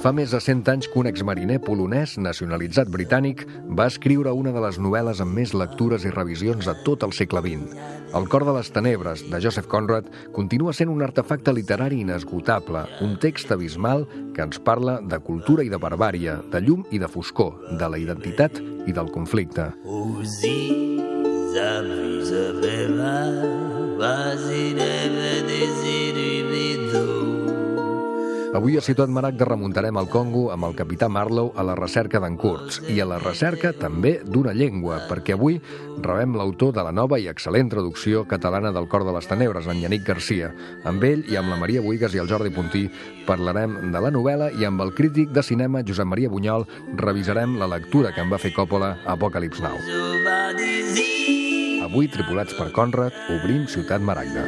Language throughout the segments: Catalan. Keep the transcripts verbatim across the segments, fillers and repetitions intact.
Fa més de cent anys que un exmariner polonès nacionalitzat britànic va escriure una de les novel·les amb més lectures i revisions de tot el segle vint. El cor de les tenebres, de Joseph Conrad, continua sent un artefacte literari inesgotable, un text abismal que ens parla de cultura i de barbària, de llum i de foscor, de la identitat i del conflicte. Avui a Ciutat Maragda remuntarem al Congo amb el capità Marlowe a la recerca d'en Kurtz i a la recerca també d'una llengua, perquè avui rebem l'autor de la nova i excel·lent traducció catalana del Cor de les Tenebres, en Yannick Garcia. Amb ell i amb la Maria Buigas i el Jordi Puntí parlarem de la novel·la i amb el crític de cinema Josep Maria Bunyol revisarem la lectura que en va fer Coppola a Apocalypse Now. Avui, tripulats per Conrad, obrim Ciutat Maragda.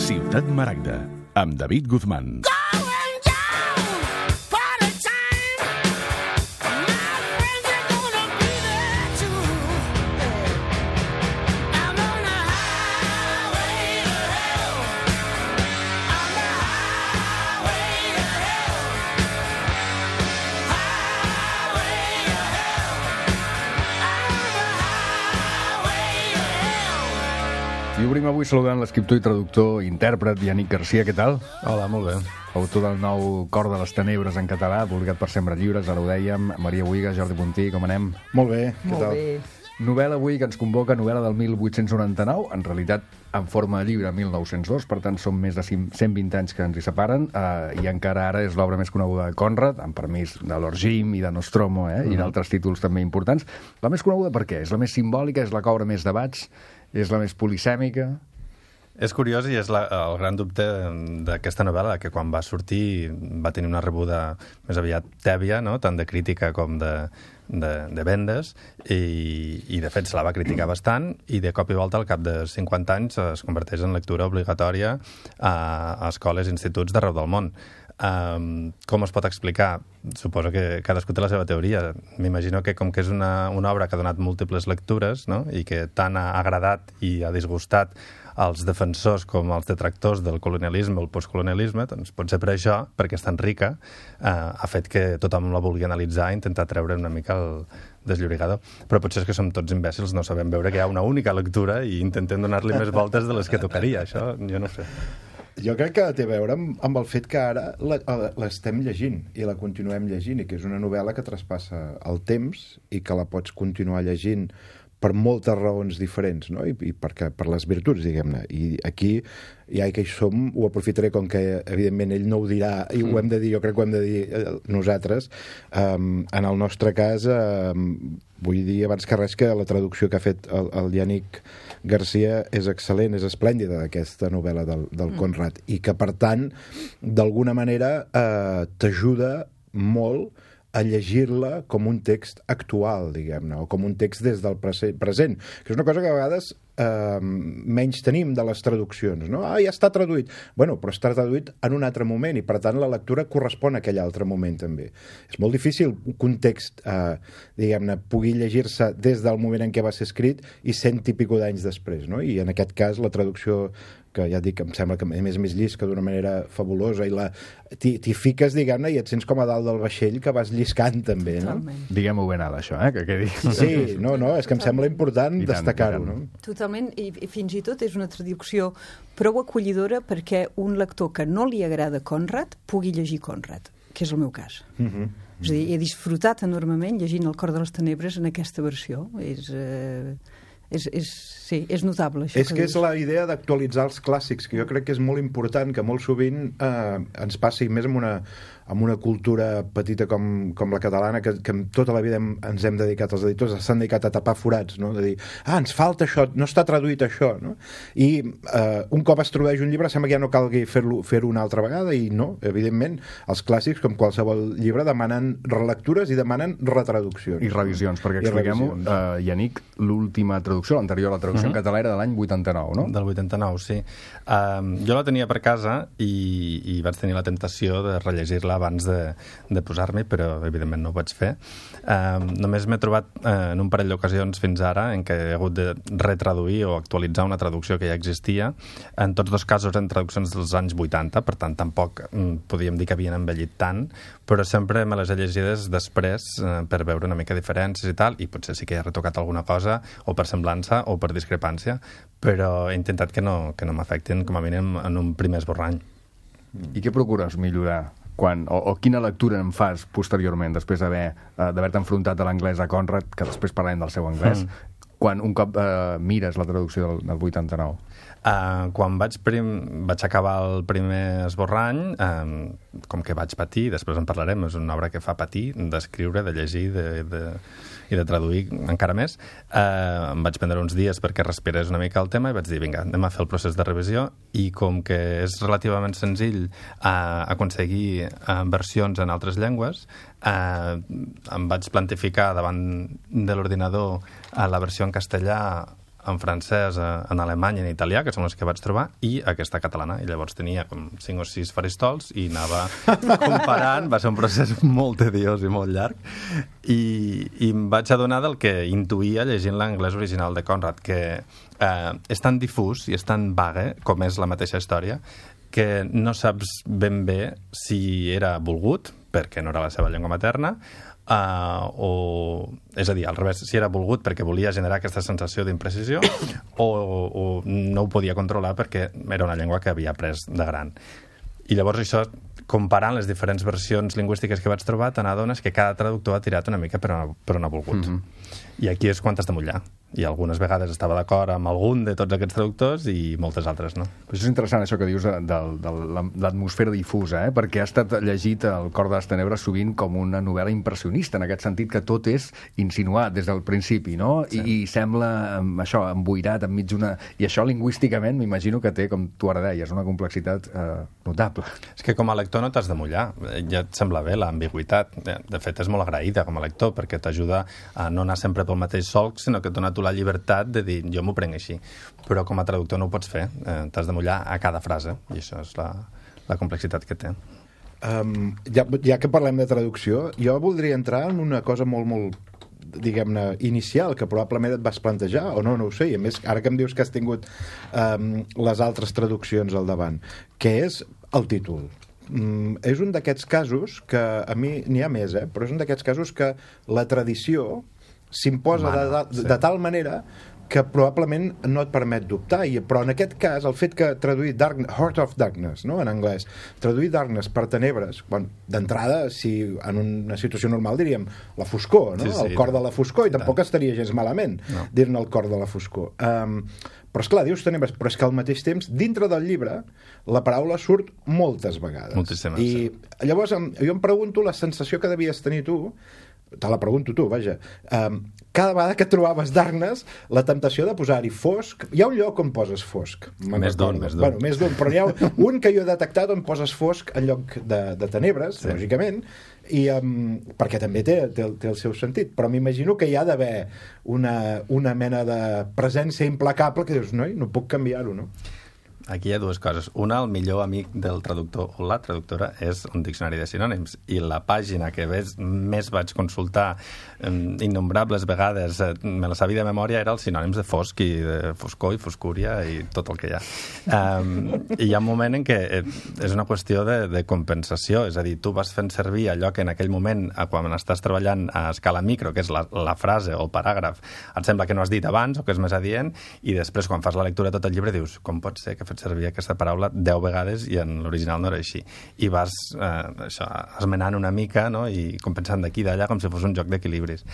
Ciutat Maragda, amb David Guzmán. I obrim avui saludant l'escriptor i traductor i intèrpret Yannick Garcia. Què tal? Hola, molt bé. Autor del nou Cor de les Tenebres en català, publicat per Sembra Lliures, ara ho dèiem. Maria Buigas, Jordi Puntí, com anem? Molt bé, què Molt tal? bé. Novel·la avui que ens convoca, novel·la del mil vuit-cents noranta-nou, en realitat en forma de llibre mil nou-cents dos, per tant són més de cent vint anys que ens hi separen, eh, i encara ara és l'obra més coneguda de Conrad, amb permís de Lord Jim i de Nostromo, eh, mm-hmm. i d'altres títols també importants. La més coneguda per què? És la més simbòlica, és la que obre més debats, és la més polisèmica? És curiós i és la, el gran dubte d'aquesta novel·la, que quan va sortir va tenir una rebuda més aviat tèbia, no? Tant de crítica com de, de, de vendes, i, i de fet se la va criticar bastant, i de cop i volta al cap de cinquanta anys es converteix en lectura obligatòria a, a escoles i instituts d'arreu del món. Um, com es pot explicar? Suposo que cadascú té la seva teoria. M'imagino que com que és una, una obra que ha donat múltiples lectures, no? I que tant ha agradat i ha disgustat als defensors com als detractors del colonialisme o el postcolonialisme, doncs pot ser per això, perquè és tan rica, eh, ha fet que tothom la vulgui analitzar i intentar treure una mica el desllorigador. Però potser és que som tots imbècils, no sabem veure que hi ha una única lectura i intentem donar-li més voltes de les que tocaria. Això jo no sé. Jo crec que té a veure amb, amb el fet que ara l'estem llegint i la continuem llegint, i que és una novel·la que traspassa el temps i que la pots continuar llegint per moltes raons diferents, no? I, i perquè, per les virtuts, diguem-ne. I aquí, ja que hi som, ho aprofitaré, com que evidentment ell no ho dirà, i ho hem de dir, jo crec que ho hem de dir nosaltres. Um, en el nostre cas, um, vull dir abans que res que la traducció que ha fet el, el Yannick Garcia és excel·lent, és esplèndida, aquesta novel·la del, del Conrad, i que, per tant, d'alguna manera eh, t'ajuda molt a llegir-la com un text actual, diguem-ne, o com un text des del present, que és una cosa que a vegades eh, menys tenim de les traduccions, no? Ah, ja està traduït. Bueno, però està traduït en un altre moment i, per tant, la lectura correspon a aquell altre moment, també. És molt difícil que un text, eh, diguem-ne, pugui llegir-se des del moment en què va ser escrit i cent i pico d'anys després, no? I, en aquest cas, la traducció que ja et dic, em sembla que a més més llisca d'una manera fabulosa, i la t'hi fiques, diguem-ne, i et sents com a dalt del vaixell que vas lliscant, també, no? Diguem-ho ben alt, això, eh? Que quedi... Sí, no, no, és que em sembla important destacar-ho, no? Totalment, i, i fins i tot és una traducció prou acollidora perquè un lector que no li agrada Conrad pugui llegir Conrad, que és el meu cas. Uh-huh. És a dir, he disfrutat enormement llegint El Cor de les Tenebres en aquesta versió. És... Eh... És, és, sí, és notable això. És que, que és la idea d'actualitzar els clàssics, que jo crec que és molt important, que molt sovint eh, ens passi més amb una, amb una cultura petita com, com la catalana, que, que tota la vida hem, ens hem dedicat, els editors s'han dedicat a tapar forats, no? De dir, ah, ens falta això, no està traduït això, no? I eh, un cop es tradueix un llibre sembla que ja no calgui fer-lo fer-ho una altra vegada, i no, evidentment, els clàssics, com qualsevol llibre, demanen relectures i demanen retraduccions. I revisions, perquè expliquem-ho, uh, Yannick, l'última traducció, l'anterior, la traducció uh -huh. en català era de l'any vuitanta-nou, no? Del vuitanta-nou, sí. Um, jo la tenia per casa i, i vaig tenir la tentació de rellegir-la abans de, de posar-m'hi, però evidentment no ho vaig fer. Um, només m'he trobat uh, en un parell d'ocasions fins ara en què he hagut de retraduir o actualitzar una traducció que ja existia. En tots dos casos eren traduccions dels anys vuitanta, per tant tampoc mm, podíem dir que havien envellit tant, però sempre me les he llegides després eh, per veure una mica diferències i tal, i potser sí que he retocat alguna cosa, o per semblança o per discrepància, però he intentat que no, que no m'afectin com a mínim en un primer esborrany. I què procures millorar? Quan, o, o quina lectura en fas posteriorment, després d'haver uh, d'haver-te enfrontat a l'anglès a Conrad, que després parlarem del seu anglès, mm. quan un cop uh, mires la traducció del, del vuitanta-nou? Uh, quan vaig, prim, vaig acabar el primer esborrany, um, com que vaig patir, després en parlarem, és una obra que fa patir, d'escriure, de llegir de, de, i de traduir encara més, uh, em vaig prendre uns dies perquè respirés una mica el tema i vaig dir, vinga, anem a fer el procés de revisió, i com que és relativament senzill uh, aconseguir uh, versions en altres llengües, uh, em vaig plantificar davant de l'ordinador uh, la versió en castellà, en francès, en alemany i en italià, que són les que vaig trobar, i aquesta catalana. I llavors tenia com cinc o sis faristols i anava comparant. Va ser un procés molt tediós i molt llarg. I, i em vaig adonar del que intuïa llegint l'anglès original de Conrad, que eh, és tan difús i és tan vague com és la mateixa història, que no saps ben bé si era volgut, perquè no era la seva llengua materna, Uh, o, és a dir, al revés, si era volgut perquè volia generar aquesta sensació d'imprecisió o, o no ho podia controlar perquè era una llengua que havia après de gran. I llavors això, comparant les diferents versions lingüístiques que vaig trobar, te n'adones que cada traductor ha tirat una mica per on, per on ha volgut. Mm-hmm. I aquí és quan t'has de mullar. I algunes vegades estava d'acord amb algun de tots aquests traductors i moltes altres no. Però això és interessant, això que dius de, de, de l'atmosfera difusa, eh? Perquè ha estat llegit El cor de les tenebres sovint com una novel·la impressionista, en aquest sentit que tot és insinuat des del principi, no? Sí. I, I sembla, això, emboirat enmig d'una... I això lingüísticament m'imagino que té, com tu ara deies, una complexitat eh, notable. És que com a lector no t'has de mullar. Ja et sembla bé l'ambigüitat. De fet, és molt agraïda com a lector, perquè t'ajuda a no anar sempre pel mateix solc, sinó que et dona tu la llibertat de dir, jo m'ho prenc així. Però com a traductor no ho pots fer. Eh, t'has de mullar a cada frase, i això és la, la complexitat que té. Um, ja, ja que parlem de traducció, jo voldria entrar en una cosa molt, molt diguem-ne, inicial, que probablement et vas plantejar, o no, no ho sé, i a més, ara que em dius que has tingut um, les altres traduccions al davant, que és el títol. Mm, és un d'aquests casos que, a mi n'hi ha més, eh? Però és un d'aquests casos que la tradició s'imposa de, de, sí. de tal manera que probablement no et permet dubtar, i, però en aquest cas el fet que traduir Dark, Heart of Darkness, no? En anglès, traduir Darkness per tenebres, bueno, d'entrada, si en una situació normal diríem la foscor, no? Sí, sí, el cor de la foscor, i tampoc estaria gens malament no. dir-ne el cor de la foscor. Um, però esclar, dius tenebres, però és que al mateix temps, dintre del llibre, la paraula surt moltes vegades. Moltíssimes, I sí. llavors jo em pregunto la sensació que devies tenir tu, te la pregunto tu, vaja, um, cada vegada que trobaves Darkness, la temptació de posar-hi fosc, hi ha un lloc on poses fosc. Més d'un, més d'un. Bueno, més d'un, però n'hi ha un que jo he detectat on poses fosc en lloc de, de tenebres, sí. lògicament, i, um, perquè també té, té, té el seu sentit, però m'imagino que hi ha d'haver una, una mena de presència implacable que dius, noi, no puc canviar-ho, no? Aquí hi ha dues coses. Una, el millor amic del traductor o la traductora és un diccionari de sinònims, i la pàgina que ves, més vaig consultar eh, innombrables vegades, eh, me la sabia de memòria, era els sinònims de fosc i de foscor i foscúria i tot el que hi ha. Um, I hi ha un moment en què és una qüestió de, de compensació, és a dir, tu vas fent servir allò que en aquell moment, quan estàs treballant a escala micro, que és la, la frase o el paràgraf, et sembla que no has dit abans o que és més adient, i després quan fas la lectura de tot el llibre dius, com pot ser que fet servir aquesta paraula deu vegades i en l'original no era així. I vas eh, això, esmenant una mica, no? I compensant d'aquí i d'allà com si fos un joc d'equilibris.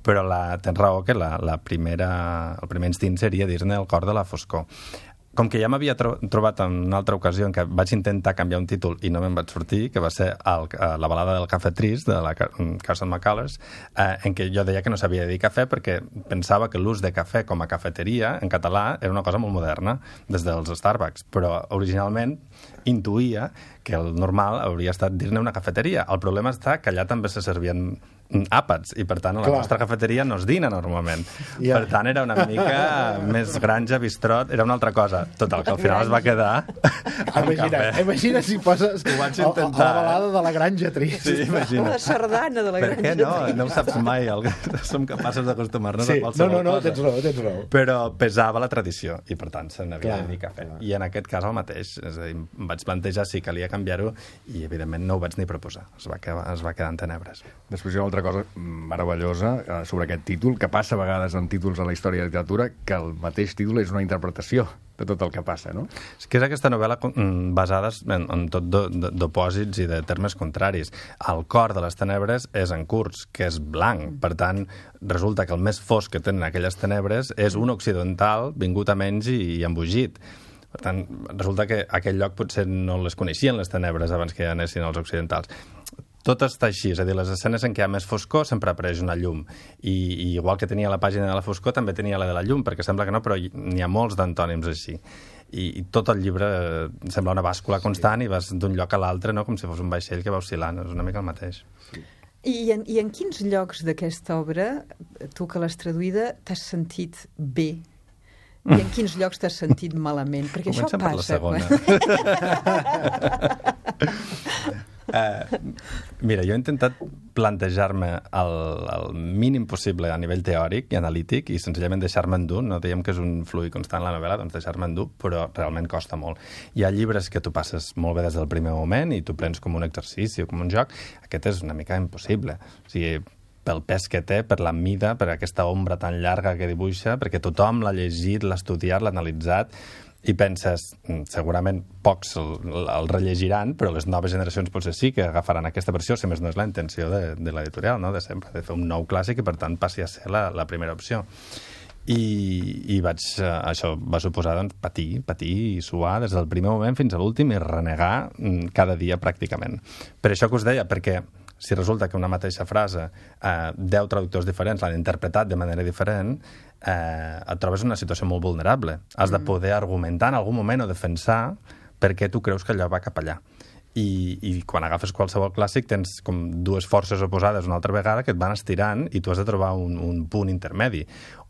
Però la, tens raó que la, la primera, el primer instint seria dir-ne el cor de la foscor. com que ja m'havia tro trobat en una altra ocasió en què vaig intentar canviar un títol i no me'n vaig sortir, que va ser el, la balada del cafè trist, de la Carson McCullers, eh, en què jo deia que no sabia dir cafè perquè pensava que l'ús de cafè com a cafeteria en català era una cosa molt moderna, des dels Starbucks, però originalment intuïa que el normal hauria estat dir-ne una cafeteria. El problema està que allà també se servien àpats, i per tant a la Clar. nostra cafeteria no es dina normalment. Yeah. Per tant era una mica més granja, bistrot, era una altra cosa. Total, que al final es va quedar imagina, imagina si poses a, a la balada de la granja trist. Sí, imagina. O la sardana de la granja trist. Per què no? No ho saps mai. El... Som capaços d'acostumar-nos sí. a qualsevol no, no, no, cosa. Tens raó, tens raó. Però pesava la tradició i per tant se n'havia de dir cafè. Clar. I en aquest cas el mateix. És a dir, em vaig plantejar si calia canviar-ho i evidentment no ho vaig ni proposar. Es va quedar, es va quedar en tenebres. Després hi ha una altra cosa meravellosa eh, sobre aquest títol, que passa a vegades en títols de la història de la literatura, que el mateix títol és una interpretació de tot el que passa, no? És que és aquesta novel·la basada en, en tot d'opòsits i de termes contraris. El cor de les tenebres és en Kurtz, que és blanc. Per tant, resulta que el més fosc que tenen aquelles tenebres és un occidental vingut a menys i, i embogit. Per tant, resulta que aquell lloc potser no les coneixien, les tenebres, abans que ja anessin els occidentals. Tot està així, és a dir, les escenes en què hi ha més foscor sempre apareix una llum. I, i igual que tenia la pàgina de la foscor, també tenia la de la llum, perquè sembla que no, però n'hi ha molts d'antònims així. I, i tot el llibre sembla una bàscula constant i vas d'un lloc a l'altre, no? Com si fos un vaixell que va oscil·lant, és una mica el mateix. Sí. I en, I en quins llocs d'aquesta obra, tu que l'has traduïda, t'has sentit bé? I en quins llocs t'has sentit malament? Perquè Comencem això passa. Per la segona. Uh, mira, jo he intentat plantejar-me el, el mínim possible a nivell teòric i analític i senzillament deixar-me endur. No dèiem que és un fluid constant la novel·la, doncs deixar-me endur, però realment costa molt. Hi ha llibres que tu passes molt bé des del primer moment i tu prens com un exercici o com un joc. Aquest és una mica impossible. O sigui, pel pes que té, per la mida, per aquesta ombra tan llarga que dibuixa, perquè tothom l'ha llegit, l'ha estudiat, l'ha analitzat, i penses, segurament pocs el, el rellegiran, però les noves generacions potser sí que agafaran aquesta versió, si més no és la intenció de, de l'editorial, no? De sempre, de fer un nou clàssic i per tant passi a ser la, la primera opció. I, i vaig, això va suposar doncs, patir, patir i suar des del primer moment fins a l'últim i renegar cada dia pràcticament. Per això que us deia, perquè si resulta que una mateixa frase, eh, deu traductors diferents l'han interpretat de manera diferent, eh, et trobes en una situació molt vulnerable. Has de poder argumentar en algun moment o defensar per què tu creus que allò va cap allà. I, i quan agafes qualsevol clàssic tens com dues forces oposades una altra vegada que et van estirant i tu has de trobar un, un punt intermedi.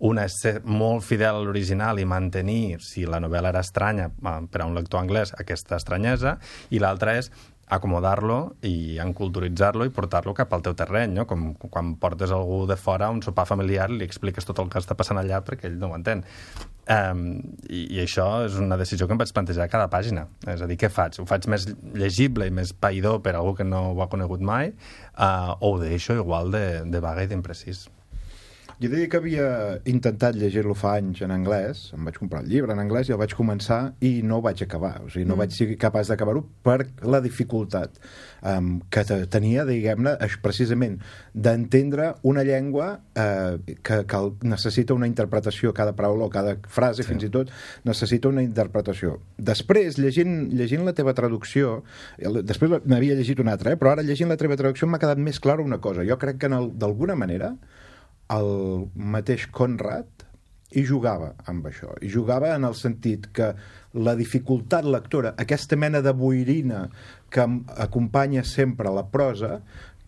Una és ser molt fidel a l'original i mantenir, si la novel·la era estranya per a un lector anglès, aquesta estranyesa, i l'altra és acomodar-lo i enculturitzar-lo i portar-lo cap al teu terreny, no? Com quan portes algú de fora a un sopar familiar i li expliques tot el que està passant allà perquè ell no ho entén. Um, i, I això és una decisió que em vaig plantejar a cada pàgina. És a dir, què faig? Ho faig més llegible i més païdor per a algú que no ho ha conegut mai uh, o ho deixo igual de, de vaga i d'imprecís? Jo diria que havia intentat llegir-lo fa anys en anglès, em vaig comprar el llibre en anglès i el vaig començar i no ho vaig acabar, o sigui, no mm. vaig ser capaç d'acabar-ho per la dificultat um, que tenia, diguem-ne, precisament d'entendre una llengua uh, que, que necessita una interpretació, cada paraula o cada frase, sí. Fins i tot, necessita una interpretació. Després, llegint, llegint la teva traducció, després n'havia llegit una altra, eh? Però ara llegint la teva traducció m'ha quedat més clara una cosa. Jo crec que d'alguna manera el mateix Conrad hi jugava amb això, hi jugava en el sentit que la dificultat lectora, aquesta mena de boirina que acompanya sempre la prosa,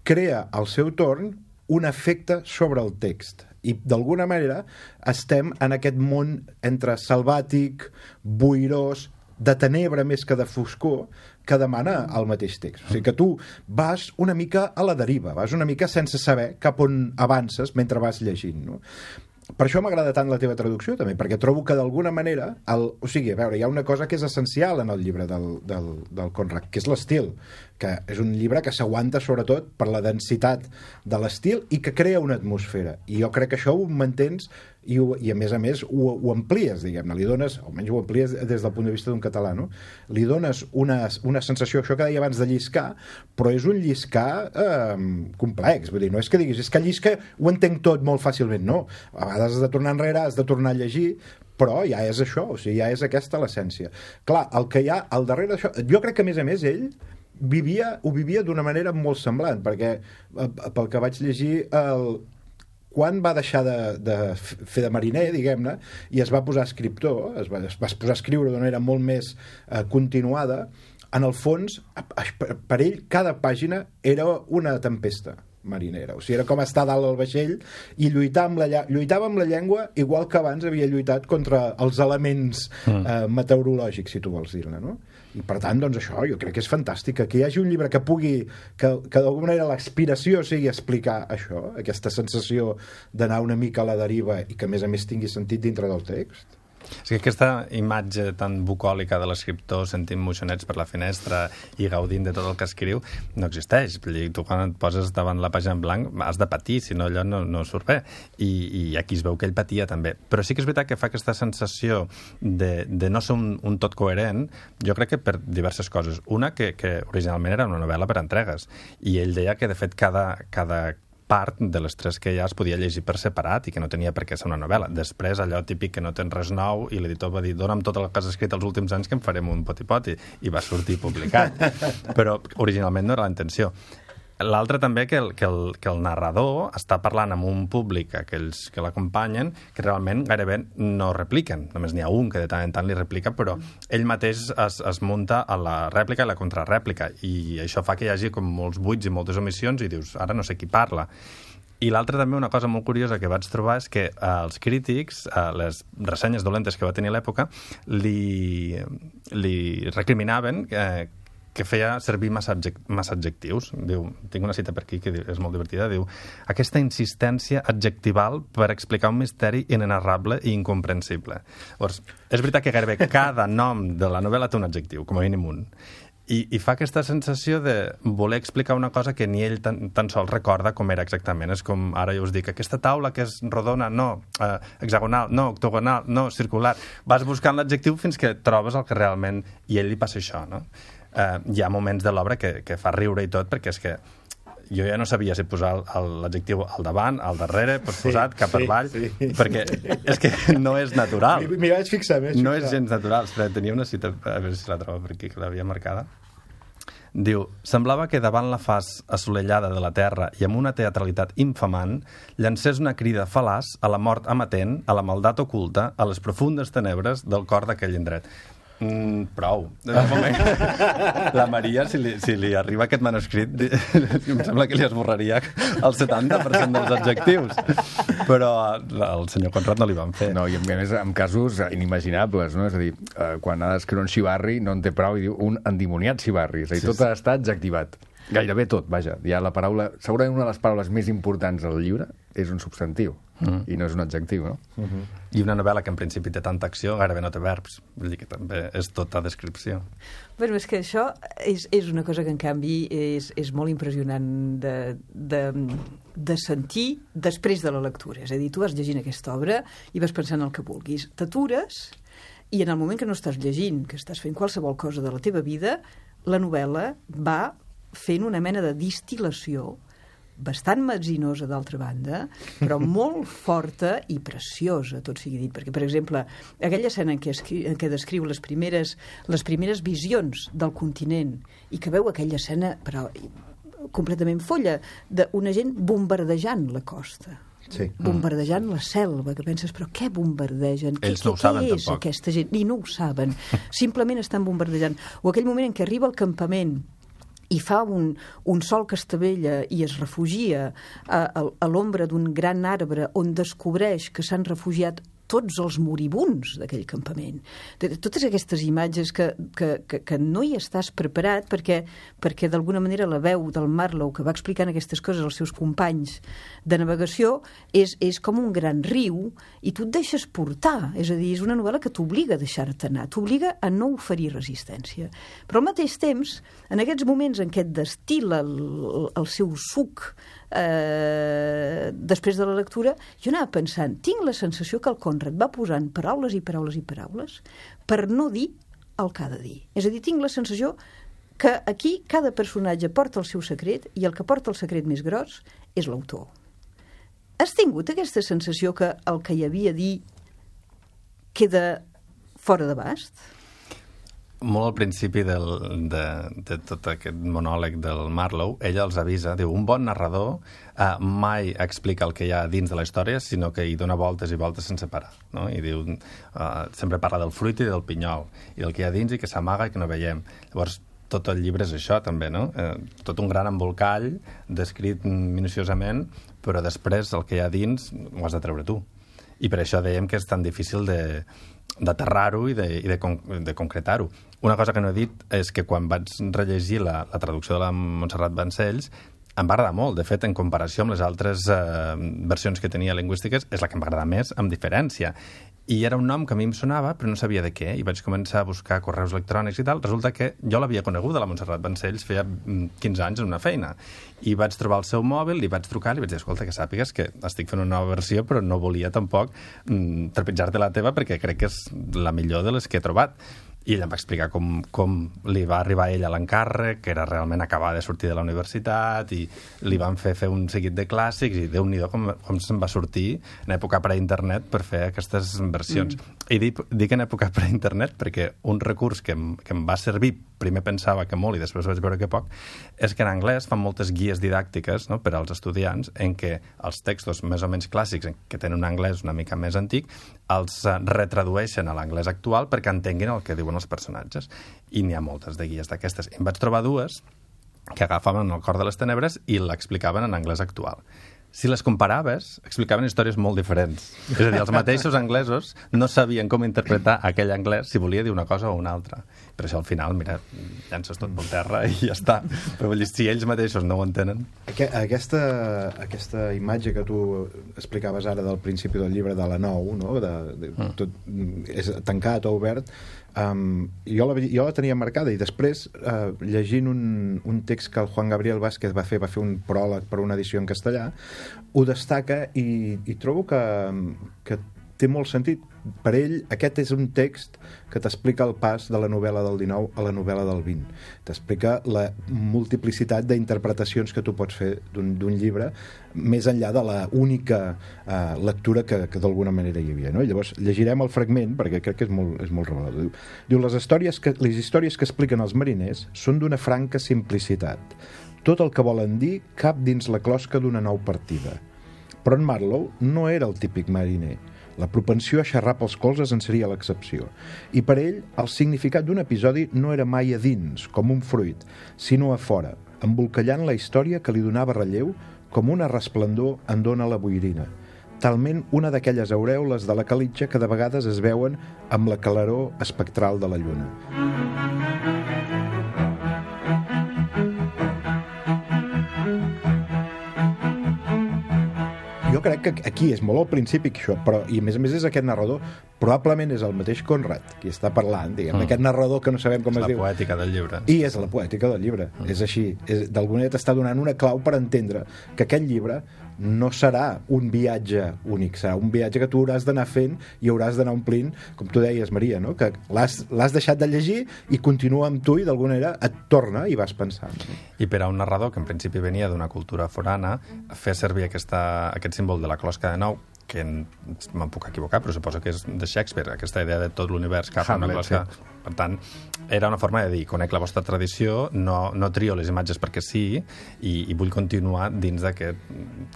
crea al seu torn un efecte sobre el text i d'alguna manera estem en aquest món entre salvàtic, boirós, de tenebra més que de foscor, que demana el mateix text. O sigui que tu vas una mica a la deriva, vas una mica sense saber cap on avances mentre vas llegint, no? Per això m'agrada tant la teva traducció, també, perquè trobo que d'alguna manera, el, o sigui, a veure, hi ha una cosa que és essencial en el llibre del, del, del Conrad, que és l'estil, que és un llibre que s'aguanta sobretot per la densitat de l'estil i que crea una atmosfera. I jo crec que això ho mantens i, ho, i a més a més ho, ho amplies, diguem-ne, li dones, almenys ho amplies des del punt de vista d'un català, no? Li dones una, una sensació, això que deia abans de lliscar, però és un lliscar eh, complex, vull dir, no és que diguis, és que llisca ho entenc tot molt fàcilment, no. A vegades has de tornar enrere, has de tornar a llegir, però ja és això, o sigui, ja és aquesta l'essència. Clar, el que hi ha al darrere d'això... Jo crec que, a més a més, ell vivia, ho vivia d'una manera molt semblant, perquè, pel que vaig llegir, el... quan va deixar de, de fer de mariner, diguem-ne, i es va posar escriptor, es va, es va posar a escriure d'una manera molt més eh, continuada, en el fons, per ell, cada pàgina era una tempesta marinera. O sigui, era com estar dalt al vaixell i lluitar amb la, lluitava amb la llengua igual que abans havia lluitat contra els elements mm. eh, meteorològics, si tu vols dir-ne, no? I per tant, doncs això, jo crec que és fantàstic que hi hagi un llibre que pugui, que, que d'alguna manera l'aspiració sigui explicar això, aquesta sensació d'anar una mica a la deriva i que a més a més tingui sentit dintre del text. És que aquesta imatge tan bucòlica de l'escriptor sentint moixonets per la finestra i gaudint de tot el que escriu no existeix. Tu quan et poses davant la pàgina en blanc has de patir, si no allò no, no surt bé. I, I aquí es veu que ell patia també. Però sí que és veritat que fa aquesta sensació de, de no ser un, un tot coherent, jo crec que per diverses coses. Una, que, que originalment era una novel·la per entregues. I ell deia que, de fet, cada... cada part de les tres que ja es podia llegir per separat i que no tenia per què ser una novel·la. Després, allò típic que no tens res nou i l'editor va dir, dona'm tot el que has escrit els últims anys que en farem un poti-poti, i va sortir publicat. Però originalment no era la intenció. L'altre també que el, que, el, que el narrador està parlant amb un públic, aquells que l'acompanyen, que realment gairebé no repliquen. Només n'hi ha un que de tant en tant li replica, però ell mateix es, es munta a la rèplica i la contrarèplica, i això fa que hi hagi com molts buits i moltes omissions i dius, ara no sé qui parla. I l'altra també, una cosa molt curiosa que vaig trobar és que eh, els crítics, eh, les ressenyes dolentes que va tenir a l'època, li, li recriminaven eh, que feia servir massa, massa adjectius. Diu, tinc una cita per aquí que és molt divertida, diu, aquesta insistència adjectival per explicar un misteri inenarrable i incomprensible. Llavors, és veritat que gairebé cada nom de la novel·la té un adjectiu, com a mínim un. I, i fa aquesta sensació de voler explicar una cosa que ni ell tan, tan sols recorda com era exactament. És com, ara jo us dic, aquesta taula que és rodona, no, eh, hexagonal, no, octogonal, no, circular. Vas buscant l'adjectiu fins que trobes el que realment... I a ell li passa això, no? Uh, hi ha moments de l'obra que, que fa riure i tot, perquè és que jo ja no sabia si posar l'adjectiu al davant, al darrere, pues sí, posat cap sí, avall, sí. Perquè és que no és natural. M'hi vaig fixar més. No és gens natural. Espera, tenia una cita, a veure si la trobo per aquí, que l'havia marcada. Diu, semblava que davant la faç assolellada de la terra i amb una teatralitat infamant llancés una crida fal·laç a la mort amatent, a la maldat oculta, a les profundes tenebres del cor d'aquell indret. Mm, prou. La Maria, si li, si li arriba aquest manuscrit, em sembla que li esborraria el setanta per cent dels adjectius. Però al senyor Conrad no li van fer. No, i a més en casos inimaginables, no? És a dir, quan ha d'escriure un xivarri no en té prou i diu un endimoniat xivarri. És a dir, tot ha estat adjectivat. Gairebé tot, vaja. Ja la paraula... Segurament una de les paraules més importants del llibre és un substantiu, mm. i no és un adjectiu, no? Mm-hmm. I una novel·la que en principi té tanta acció gairebé no té verbs. Vull dir que també és tota descripció. Bueno, és que això és, és una cosa que, en canvi, és, és molt impressionant de, de, de sentir després de la lectura. És a dir, tu vas llegint aquesta obra i vas pensant el que vulguis. T'atures i en el moment que no estàs llegint, que estàs fent qualsevol cosa de la teva vida, la novel·la va fent una mena de distil·lació bastant metzinosa, d'altra banda, però molt forta i preciosa, tot sigui dit. Perquè, per exemple, aquella escena en què, escri en què descriu les primeres, les primeres visions del continent i que veu aquella escena, però completament folla, d'una gent bombardejant la costa. Sí. Bombardejant la selva, que penses, però què bombardegen? Ells què, no ho saben, què és tampoc. Aquesta gent? I no ho saben. Simplement estan bombardejant. O aquell moment en què arriba al campament i fa un, un sol que estavella i es refugia a, a, a l'ombra d'un gran arbre on descobreix que s'han refugiat tots els moribuns d'aquell campament. Totes aquestes imatges que, que, que, que no hi estàs preparat perquè, perquè d'alguna manera la veu del Marlowe, que va explicant aquestes coses als seus companys de navegació, és, és com un gran riu i tu et deixes portar. És a dir, és una novel·la que t'obliga a deixar-te anar, t'obliga a no oferir resistència. Però al mateix temps, en aquests moments en què et destil·la el, el seu suc Eh, després de la lectura, jo anava pensant, tinc la sensació que el Conrad va posant paraules i paraules i paraules per no dir el que ha de dir. És a dir, tinc la sensació que aquí cada personatge porta el seu secret i el que porta el secret més gros és l'autor. Has tingut aquesta sensació que el que hi havia a dir, queda fora d'abast? Molt al principi del, de, de tot aquest monòleg del Marlowe, ella els avisa, diu, un bon narrador eh, mai explica el que hi ha dins de la història, sinó que hi dona voltes i voltes sense parar, no? I diu, eh, sempre parla del fruit i del pinyol, i del que hi ha dins i que s'amaga i que no veiem. Llavors, tot el llibre és això, també, no? Eh, tot un gran embolcall, descrit minuciosament, però després el que hi ha dins ho has de treure tu. I per això dèiem que és tan difícil de d'aterrar-ho i, de, i de, de concretar-ho. Una cosa que no he dit és que quan vaig rellegir la, la traducció de la Montserrat Vancells em va agradar molt. De fet, en comparació amb les altres eh, versions que tenia lingüístiques, és la que m'agrada més, amb diferència. I era un nom que a mi em sonava, però no sabia de què, i vaig començar a buscar correus electrònics i tal. Resulta que jo l'havia coneguda, la Montserrat Vancells, feia quinze anys en una feina. I vaig trobar el seu mòbil, li vaig trucar, li vaig dir, escolta, que sàpigues que estic fent una nova versió, però no volia tampoc mm, trepitjar-te la teva, perquè crec que és la millor de les que he trobat. I ella em va explicar com, com li va arribar a ella l'encàrrec, que era realment acabar de sortir de la universitat, i li van fer fer un seguit de clàssics, i Déu-n'hi-do com, com se'n va sortir en època pre-internet per fer aquestes versions. Mm. I dic, dic en època pre-internet perquè un recurs que em, que em va servir, primer pensava que molt i després vaig veure que poc, és que en anglès fan moltes guies didàctiques, no?, per als estudiants, en què els textos més o menys clàssics, que tenen un anglès una mica més antic, els retradueixen a l'anglès actual perquè entenguin el que diuen els personatges. I n'hi ha moltes de guies d'aquestes. Em vaig trobar dues que agafaven el cor de les tenebres i l'explicaven en anglès actual. Si les comparaves, explicaven històries molt diferents. És a dir, els mateixos anglesos no sabien com interpretar aquell anglès si volia dir una cosa o una altra. Per això al final, mira, llances tot pel terra i ja està. Però vull dir, si ells mateixos no ho entenen... Aquesta, aquesta imatge que tu explicaves ara del principi del llibre de la nou, no? de, de, tot és tancat o obert, Um, jo, la, jo la tenia marcada i després uh, llegint un, un text que el Juan Gabriel Vázquez va fer, va fer un pròleg per una edició en castellà, ho destaca i, i trobo que, que té molt sentit. Per ell, aquest és un text que t'explica el pas de la novel·la del dinou a la novel·la del vint. T'explica la multiplicitat d'interpretacions que tu pots fer d'un llibre, més enllà de la única uh, lectura que, que d'alguna manera hi havia. No? I llavors llegirem el fragment, perquè crec que és molt, és molt revelador. Diu, diu les, històries que, les històries que expliquen els mariners són d'una franca simplicitat. Tot el que volen dir cap dins la closca d'una nou partida. Però en Marlowe no era el típic mariner. La propensió a xerrar pels colzes en seria l'excepció. I per ell, el significat d'un episodi no era mai a dins, com un fruit, sinó a fora, embolcallant la història que li donava relleu com una resplendor en dona la boirina. Talment una d'aquelles aureoles de la calitja que de vegades es veuen amb la claror espectral de la lluna. Jo crec que aquí és molt al principi això, però, i a més a més és aquest narrador, probablement és el mateix Conrad qui està parlant, diguem, mm. aquest narrador que no sabem com és es diu. És la poètica del llibre. I és la poètica del llibre, mm. és així. D'alguna manera t'està donant una clau per entendre que aquest llibre no serà un viatge únic, serà un viatge que tu hauràs d'anar fent i hauràs d'anar omplint, com tu deies, Maria, no? Que l'has deixat de llegir i continua amb tu i d'alguna manera et torna i vas pensant. No? I per a un narrador que en principi venia d'una cultura forana, fer servir aquesta, aquest símbol de la closca de nou, que me'n puc equivocar, però suposo que és de Shakespeare, aquesta idea de tot l'univers cap a una closca. Sí. Per tant, era una forma de dir, conec la vostra tradició, no, no trio les imatges perquè sí, i, i vull continuar dins d'aquest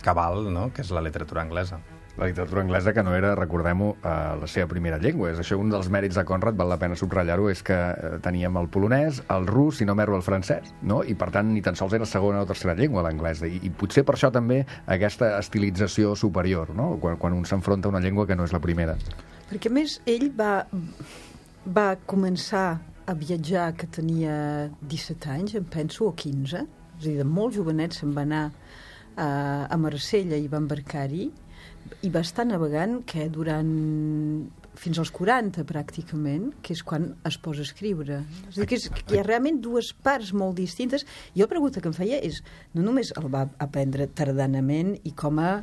cabal, no?, que és la literatura anglesa. La literatura anglesa, que no era, recordem-ho, eh, la seva primera llengua. És això un dels mèrits de Conrad, val la pena subratllar-ho, és que eh, teníem el polonès, el rus, si no m'erro, el francès, no? I per tant ni tan sols era segona o tercera llengua l'anglès. I, I potser per això també aquesta estilització superior, no? Quan, quan un s'enfronta a una llengua que no és la primera. Perquè, a més, ell va, va començar a viatjar que tenia disset anys, em penso, o quinze. És a dir, de molt jovenet se'n va anar a, a Marsella i va embarcar-hi, i va estar navegant que durant fins als quaranta pràcticament, que és quan es posa a escriure. És a dir, que, és, que hi ha realment dues parts molt distintes. I la pregunta que em feia és, no només el va aprendre tardanament i com a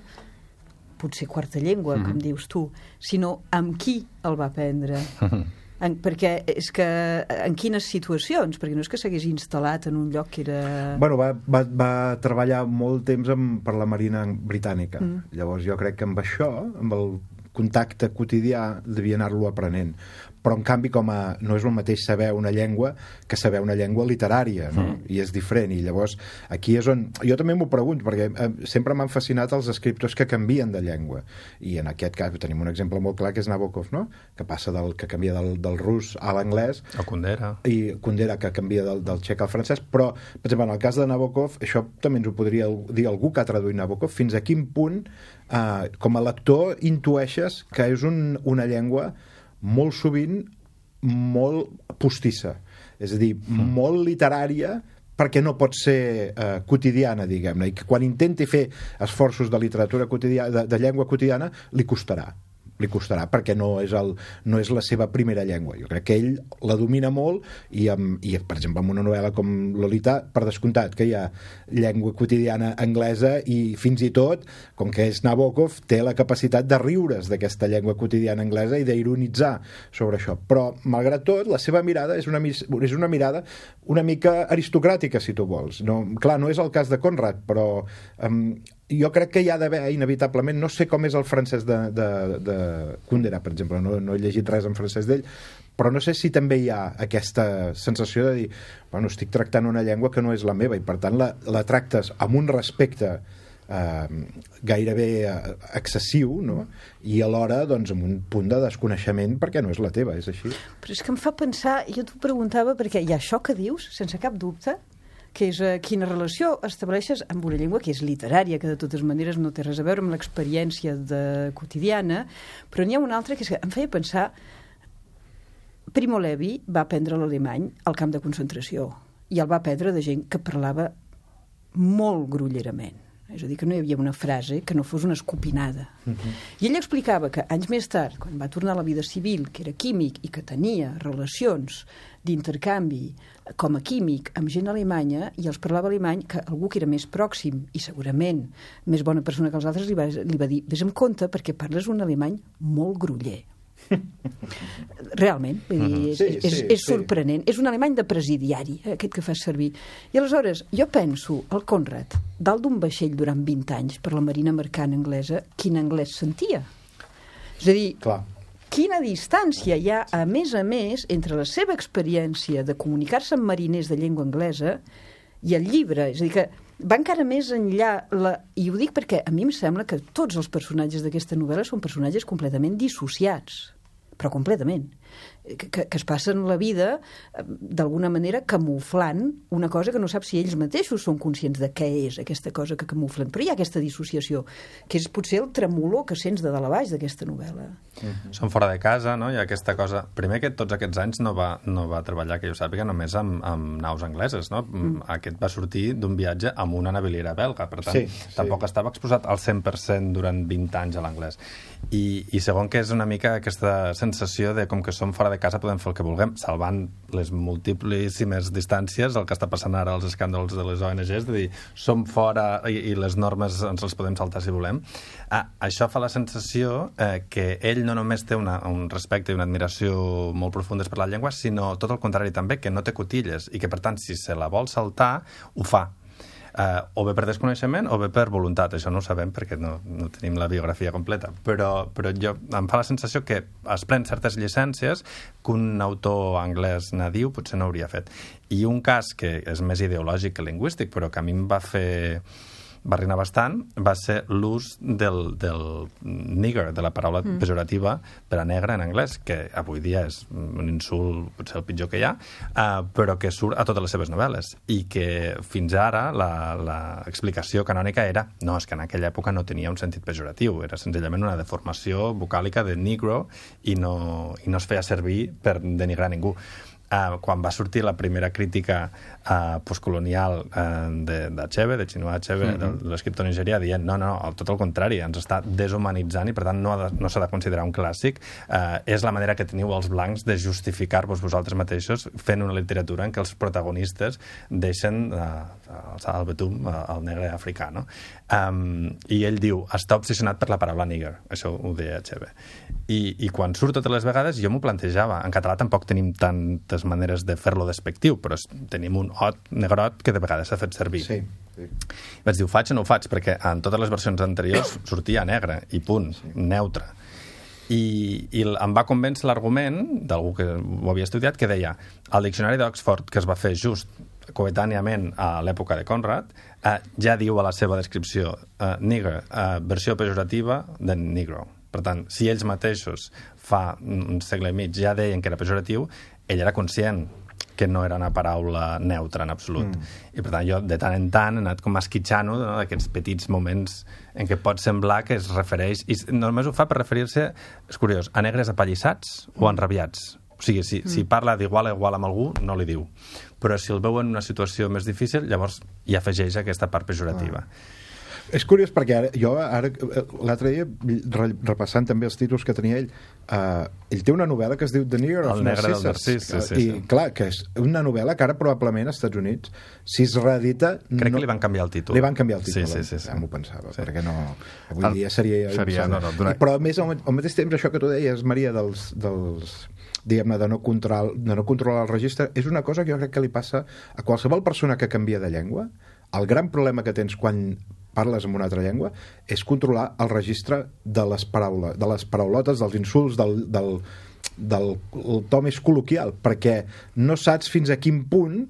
potser quarta llengua, mm-hmm. com dius tu, sinó amb qui el va aprendre. En, perquè és que en quines situacions? Perquè no és que s'hagués instal·lat en un lloc que era... Bueno, va, va, va treballar molt temps amb, per la Marina Britànica. Mm. Llavors jo crec que amb això, amb el contacte quotidià devia anar-lo aprenent. Però, en canvi, com a, no és el mateix saber una llengua que saber una llengua literària, no? Mm. I és diferent. I llavors, aquí és on... Jo també m'ho pregunto, perquè eh, sempre m'han fascinat els escriptors que canvien de llengua. I en aquest cas tenim un exemple molt clar, que és Nabokov, no? Que passa del que canvia del, del rus a l'anglès. O Kundera. I Kundera, que canvia del, del txec al francès. Però, per exemple, en el cas de Nabokov, això també ens ho podria dir algú que ha traduït Nabokov, fins a quin punt, eh, com a lector, intueixes que és un, una llengua molt sovint molt postissa, és a dir, mm. molt literària, perquè no pot ser eh, quotidiana, diguem-ne, i que quan intenti fer esforços de literatura quotidiana, de, de llengua quotidiana, li costarà. li costarà perquè no és, el, no és la seva primera llengua. Jo crec que ell la domina molt i, amb, i per exemple, en una novel·la com Lolita, per descomptat que hi ha llengua quotidiana anglesa i fins i tot, com que és Nabokov, té la capacitat de riure's d'aquesta llengua quotidiana anglesa i d'ironitzar sobre això. Però, malgrat tot, la seva mirada és una, és una mirada una mica aristocràtica, si tu vols. No, clar, no és el cas de Conrad, però um, jo crec que hi ha d'haver, inevitablement, no sé com és el francès de, de, de Kundera, per exemple, no, no he llegit res en francès d'ell, però no sé si també hi ha aquesta sensació de dir, bueno, estic tractant una llengua que no és la meva i per tant la, la tractes amb un respecte eh, gairebé excessiu, no? I alhora doncs, amb un punt de desconeixement perquè no és la teva, és així. Però és que em fa pensar, jo t'ho preguntava perquè hi ha això que dius, sense cap dubte, que és uh, quina relació estableixes amb una llengua que és literària, que de totes maneres no té res a veure amb l'experiència de quotidiana, però n'hi ha una altra que, és que em feia pensar. Primo Levi va aprendre l'alemany al camp de concentració i el va aprendre de gent que parlava molt grollerament. És a dir, que no hi havia una frase que no fos una escopinada. Uh-huh. I ell explicava que anys més tard, quan va tornar a la vida civil, que era químic i que tenia relacions d'intercanvi com a químic amb gent alemanya i els parlava alemany, que algú que era més pròxim i segurament més bona persona que els altres li va, li va dir, vés amb compte perquè parles un alemany molt groller. Realment, vull dir, és, sí, és, sí, és sorprenent. Sí. És un alemany de presidiari, aquest que fas servir. I aleshores, jo penso, el Conrad, dalt d'un vaixell durant vint anys per la marina mercant anglesa, quin anglès sentia? És a dir, clar, quina distància hi ha, a més a més, entre la seva experiència de comunicar-se amb mariners de llengua anglesa i el llibre. És a dir, que va encara més enllà, la... i ho dic perquè a mi em sembla que tots els personatges d'aquesta novel·la són personatges completament dissociats, però completament, que, que es passen la vida d'alguna manera camuflant una cosa que no sap si ells mateixos són conscients de què és aquesta cosa que camuflen, però hi ha aquesta dissociació que és potser el tremolor que sents de dalt a baix d'aquesta novel·la. Mm-hmm. Són fora de casa, no? Hi ha aquesta cosa, primer que tots aquests anys no va, no va treballar, que jo sàpiga, només amb, amb naus angleses, no? Mm. Aquest va sortir d'un viatge amb una naviliera belga, per tant, sí, sí. Tampoc estava exposat al cent per cent durant vint anys a l'anglès. I, i segon, que és una mica aquesta sensació de com que som fora de casa podem fer el que vulguem, salvant les multiplíssimes distàncies, el que està passant ara als escàndols de les O N Ges, de dir, som fora i, i les normes ens les podem saltar si volem. Ah, això fa la sensació eh, que ell no només té una, un respecte i una admiració molt profundes per la llengua, sinó tot el contrari també, que no té cotilles i que, per tant, si se la vol saltar, ho fa. Uh, o bé per desconeixement o bé per voluntat, això no ho sabem perquè no, no tenim la biografia completa, però, però jo, em fa la sensació que es pren certes llicències que un autor anglès nadiu potser no hauria fet. I un cas que és més ideològic que lingüístic, però que a mi em va fer va rinar bastant, va ser l'ús del, del nigger, de la paraula mm. pejorativa per a negre en anglès, que avui dia és un insult potser el pitjor que hi ha, uh, però que surt a totes les seves novel·les i que fins ara l'explicació canònica era no, és que en aquella època no tenia un sentit pejoratiu, era senzillament una deformació vocàlica de negro i no, i no es feia servir per denigrar ningú. Uh, quan va sortir la primera crítica uh, postcolonial uh, d'Achebe, de Chinua Achebe, mm-hmm. de l'escriptor nigerià, dient no, no, tot el contrari, ens està deshumanitzant i per tant no, ha de, no s'ha de considerar un clàssic. Uh, és la manera que teniu els blancs de justificar-vos vosaltres mateixos fent una literatura en què els protagonistes deixen uh, al betum uh, el negre africà, no? Um, I ell diu, està obsessionat per la paraula nigger, això ho deia Achebe. I, i quan surt totes les vegades jo m'ho plantejava, en català tampoc tenim tantes maneres de fer-lo despectiu, però tenim un ot negrot que de vegades s'ha fet servir. Sí, sí. Vaig dir, ho faig o no ho faig? Perquè en totes les versions anteriors sortia negre i punt, sí. Neutre. I, i em va convèncer l'argument d'algú que ho havia estudiat, que deia el diccionari d'Oxford, que es va fer just coetàniament a l'època de Conrad, eh, ja diu a la seva descripció eh, nigger, eh, versió pejorativa de negro. Per tant, si ells mateixos fa un segle i mig ja deien que era pejoratiu, ell era conscient que no era una paraula neutra en absolut. Mm. I per tant jo de tant en tant he anat com esquitxant-ho, no? D'aquests petits moments en què pot semblar que es refereix, i només ho fa per referir-se, és curiós, a negres apallissats mm. o enrabiats. O sigui, si, mm. si parla d'igual a igual amb algú, no li diu. Però si el veu en una situació més difícil, llavors hi afegeix aquesta part pejorativa. Ah. És curiós perquè ara, jo ara, l'altre dia, repassant també els títols que tenia ell, uh, ell té una novel·la que es diu The Nigger of Narcissus. Narcís, sí, sí, I sí. clar, que és una novel·la que ara probablement als Estats Units, si es reedita... Crec no... que li van canviar el títol. Li van canviar el títol, sí, sí, sí, sí. ja m'ho pensava, sí. Perquè no... Avui el... dia seria... seria no, no, donar... Però a més, al, al mateix temps, això que tu deies, Maria, dels... dels diguem-ne, de no, control, de no controlar el registre, és una cosa que jo crec que li passa a qualsevol persona que canvia de llengua. El gran problema que tens quan parles en una altra llengua és controlar el registre de les paraules, de les paraulotes, dels insults, del, del, del el to més col·loquial, perquè no saps fins a quin punt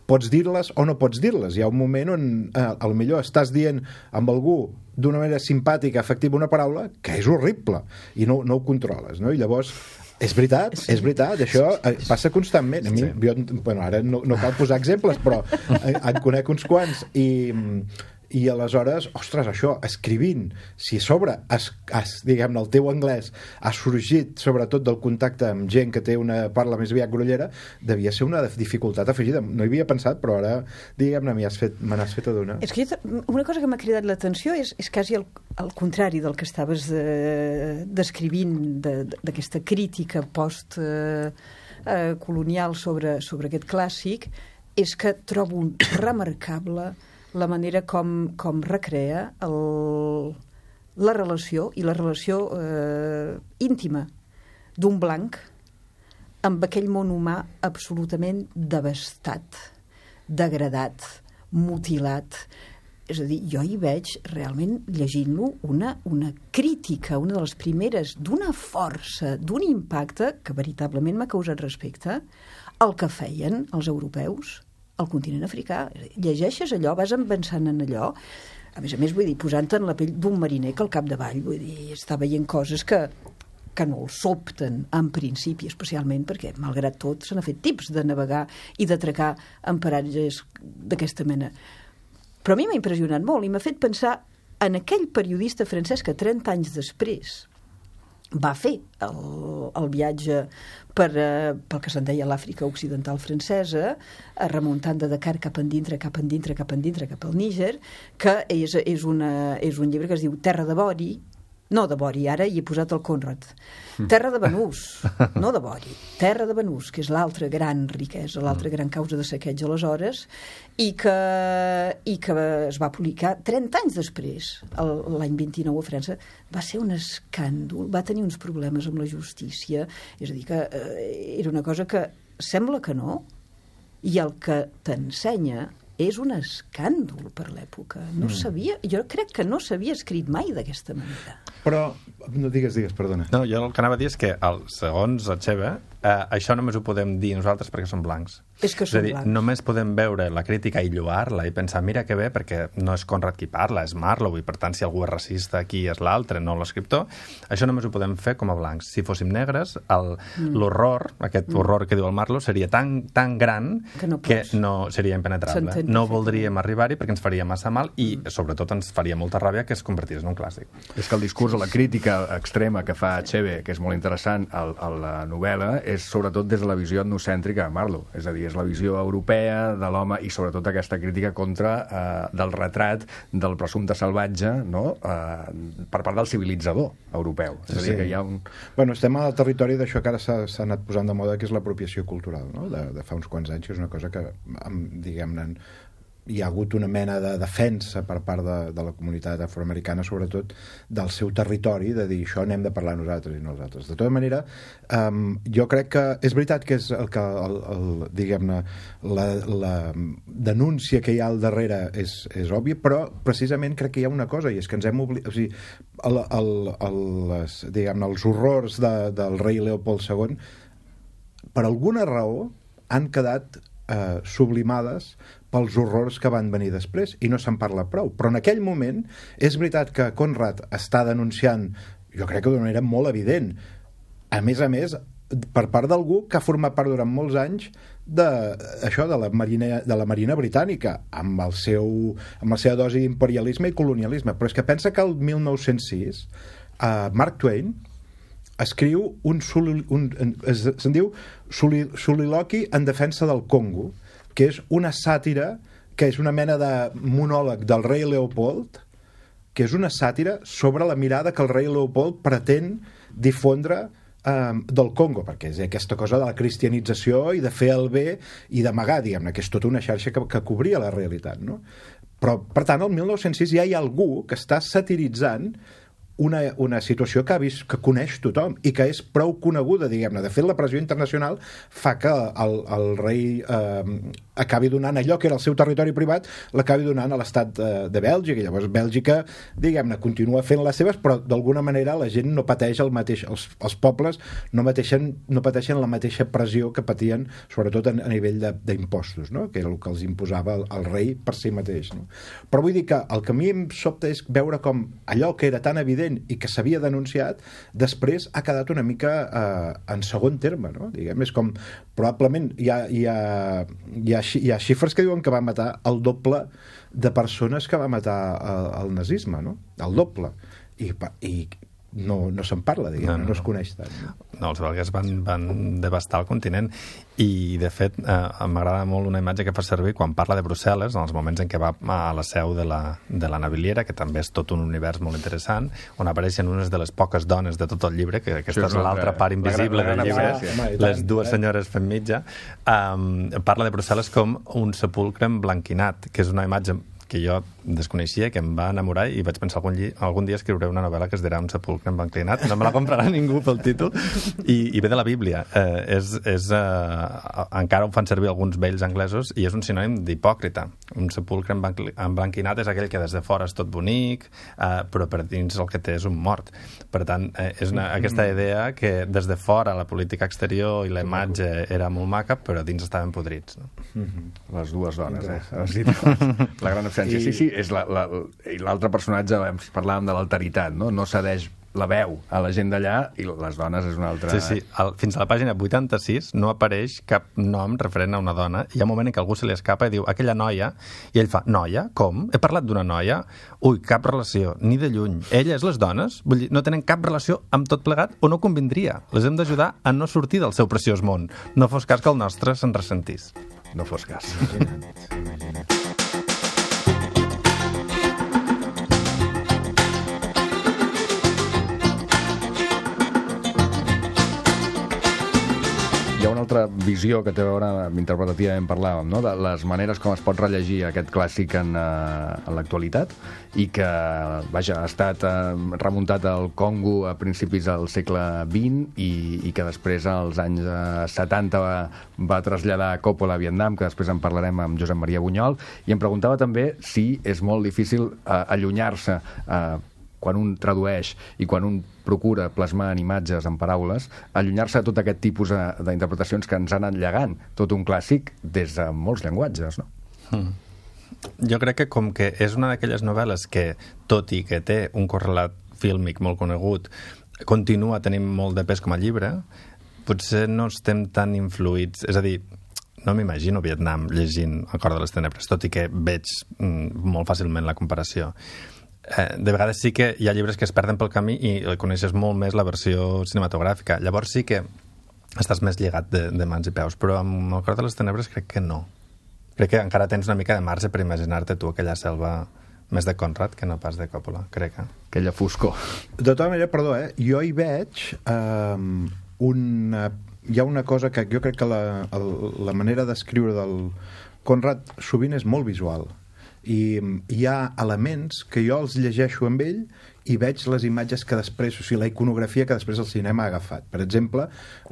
pots dir-les o no pots dir-les. Hi ha un moment on eh, a lo millor estàs dient amb algú d'una manera simpàtica, efectiva, una paraula que és horrible i no, no ho controles, no? I llavors és veritat, sí. és veritat, això passa constantment. A mi, sí. jo, bueno, ara no, no cal posar exemples, però en conec uns quants i, i aleshores, ostres, això, escrivint, si a sobre, es, es, diguem-ne, el teu anglès ha sorgit sobretot del contacte amb gent que té una parla més aviat grollera, devia ser una dificultat afegida. No hi havia pensat, però ara, diguem-ne, me n'has fet adonar. És que jo, una cosa que m'ha cridat l'atenció és, és quasi el, el contrari del que estaves eh, descrivint, d'aquesta de, crítica post eh, eh, colonial sobre, sobre aquest clàssic, és que trobo remarcable la manera com, com recrea el, la relació, i la relació eh, íntima d'un blanc amb aquell món humà absolutament devastat, degradat, mutilat. És a dir, jo hi veig realment, llegint-lo, una, una crítica, una de les primeres, d'una força, d'un impacte que veritablement m'ha causat respecte al que feien els europeus al continent africà. Llegeixes allò, vas pensant en allò, a més a més, vull dir, posant-te en la pell d'un mariner que al capdavall, vull dir, està veient coses que, que no el sobten en principi, especialment perquè, malgrat tot, se n'ha fet tips de navegar i d'atracar en paratges d'aquesta mena. Però a mi m'ha impressionat molt i m'ha fet pensar en aquell periodista francès que trenta anys després va fer el, el viatge per, eh, pel que se'n deia l'Àfrica Occidental francesa, eh, remuntant de Dakar cap endintre, cap endintre, cap endintre, cap al Níger, que és, és, una, és un llibre que es diu Terra de Bori, no de Bori, ara hi he posat el Conrad, Terra de Banús, no de Bori, Terra de Banús, que és l'altra gran riquesa, l'altra gran causa de saqueig aleshores, i que, i que es va publicar trenta anys després, l'any vint-i-nou a França. Va ser un escàndol, va tenir uns problemes amb la justícia, és a dir, que eh, era una cosa que sembla que no, i el que t'ensenya és un escàndol per l'època. No mm. sabia, jo crec que no s'havia escrit mai d'aquesta manera. Però, no digues, digues, perdona. No, jo el que anava a dir és que, el, segons Achebe, eh, això només ho podem dir nosaltres perquè som blancs. És que som és a dir, blancs. Només podem veure la crítica i lloar-la i pensar, mira que bé, perquè no és Conrad qui parla, és Marlowe, i per tant, si algú és racista, aquí és l'altre, no l'escriptor. Això només ho podem fer com a blancs. Si fóssim negres, l'horror, mm. aquest mm. horror que diu el Marlowe, seria tan, tan gran que no, que no seria impenetrable. No voldríem arribar-hi perquè ens faria massa mal i, mm. sobretot, ens faria molta ràbia que es convertís en un clàssic. És que el discurs o la crítica extrema que fa Achebe, que és molt interessant a, a la novel·la, és sobretot des de la visió etnocèntrica de Marlowe. És a dir, és la visió europea de l'home i sobretot aquesta crítica contra eh, del retrat del presumpte salvatge, no? eh, per part del civilitzador europeu. És a dir, sí. que hi ha un... Bueno, estem al territori d'això que ara s'ha anat posant de moda, que és l'apropiació cultural, no? de, de fa uns quants anys, que és una cosa que, diguem-ne, hi ha hagut una mena de defensa per part de, de la comunitat afroamericana, sobretot del seu territori, de dir això n'hem de parlar nosaltres i nosaltres. De tota manera, um, jo crec que és veritat que és el que el, el, diguem-ne, la, la denúncia que hi ha al darrere és, és òbvia, però precisament crec que hi ha una cosa, i és que ens hem oblidat, o sigui, el, el, el, les, diguem-ne, els horrors de, del rei Leopold segon, per alguna raó han quedat eh, sublimades pels horrors que van venir després, i no se'n parla prou. Però en aquell moment és veritat que Conrad està denunciant, jo crec que d'una manera molt evident, a més a més, per part d'algú que ha format part durant molts anys de, això, de, la marina, de la Marina Britànica, amb, el seu, amb la seva dosi d'imperialisme i colonialisme. Però és que pensa que el mil nou-cents sis eh, Mark Twain escriu un, soli, un se'n diu soliloqui en defensa del Congo, que és una sàtira, que és una mena de monòleg del rei Leopold, que és una sàtira sobre la mirada que el rei Leopold pretén difondre eh, del Congo, perquè és aquesta cosa de la cristianització i de fer el bé i d'amagar, diguem-ne, que és tota una xarxa que, que cobria la realitat, no? Però, per tant, el mil nou-cents sis ja hi ha algú que està satiritzant una, una situació que ha vist, que coneix tothom i que és prou coneguda, diguem-ne. De fet, la pressió internacional fa que el, el rei eh, acabi donant allò que era el seu territori privat, l'acabi donant a l'estat de, de Bèlgica, i llavors Bèlgica, diguem-ne, continua fent les seves, però d'alguna manera la gent no pateix el mateix, els, els pobles no pateixen, no pateixen la mateixa pressió que patien, sobretot a, a nivell d'impostos, no? Que era el que els imposava el, el rei per si mateix, no? Però vull dir que el que a mi em sobta és veure com allò que era tan evident i que s'havia denunciat, després ha quedat una mica eh, en segon terme, no? Diguem, és com, probablement hi ha, hi, ha, hi, ha, hi ha xifres que diuen que va matar el doble de persones que va matar el, el nazisme, no? El doble. I, i no, no se'n parla, diguem, no, no. no es coneix tant. No, no els belgues van, van devastar el continent i, de fet, eh, m'agrada molt una imatge que fa servir quan parla de Brussel·les, en els moments en què va a la seu de la, de la naviliera, que també és tot un univers molt interessant, on apareixen unes de les poques dones de tot el llibre, que aquesta sí, és l'altra part invisible la gran, la del llibre, home, les dues senyores fent mitja, um, parla de Brussel·les com un sepulcre emblanquinat, que és una imatge que jo desconeixia, que em va enamorar i vaig pensar algun, algun dia escriuré una novel·la que es dirà Un sepulcre emblanquinat. No me la comprarà ningú pel títol. I, i ve de la Bíblia. Eh, és, és, eh, encara ho fan servir alguns vells anglesos i és un sinònim d'hipòcrita. Un sepulcre emblanquinat és aquell que des de fora és tot bonic, eh, però per dins el que té és un mort. Per tant, eh, és una, aquesta idea que des de fora la política exterior i la imatge era molt maca, però dins estaven podrits. No? Les dues dones, eh? La gran absència. I... Sí, sí, és la, la, l'altre personatge, parlàvem de l'alteritat, no? No cedeix la veu a la gent d'allà i les dones és una altra... Sí, sí. El, fins a la pàgina vuitanta-sis no apareix cap nom referent a una dona. Hi ha un moment en què algú se li escapa i diu aquella noia, i ell fa, noia? Com? He parlat d'una noia? Ui, cap relació, ni de lluny. Ella és les dones? Vull dir, no tenen cap relació amb tot plegat o no convindria. Les hem d'ajudar a no sortir del seu preciós món. No fos cas que el nostre se'n ressentís. No fos cas. Imagina't, imagina't. Hi ha una altra visió que té a veure, interpretativament parlàvem, no? De les maneres com es pot rellegir aquest clàssic en, uh, en l'actualitat i que, vaja, ha estat uh, remuntat al Congo a principis del segle vint i, i que després, als anys uh, setanta, va, va traslladar a Coppola a Vietnam, que després en parlarem amb Josep Maria Bunyol, i em preguntava també si és molt difícil uh, allunyar-se uh, quan un tradueix i quan un procura plasmar en imatges, en paraules, allunyar-se de tot aquest tipus d'interpretacions que ens han anat llegant tot un clàssic des de molts llenguatges, no? Mm. Jo crec que com que és una d'aquelles novel·les que, tot i que té un correlat fílmic molt conegut, continua tenint molt de pes com a llibre, potser no estem tan influïts... És a dir, no m'imagino Vietnam llegint El cor de les tenebres, tot i que veig mm, molt fàcilment la comparació. Eh, de vegades sí que hi ha llibres que es perden pel camí i coneixes molt més la versió cinematogràfica. Llavors sí que estàs més lligat de, de mans i peus, però amb El cor de les tenebres crec que no. Crec que encara tens una mica de marge per imaginar-te tu aquella selva més de Conrad que no pas de Coppola, crec. Eh? Aquella foscor. De tota manera, perdó, eh? jo hi veig eh, una... hi ha una cosa que jo crec que la, el, la manera d'escriure del Conrad sovint és molt visual. i hi ha elements que jo els llegeixo amb ell i veig les imatges que després, o sigui, la iconografia que després el cinema ha agafat. Per exemple,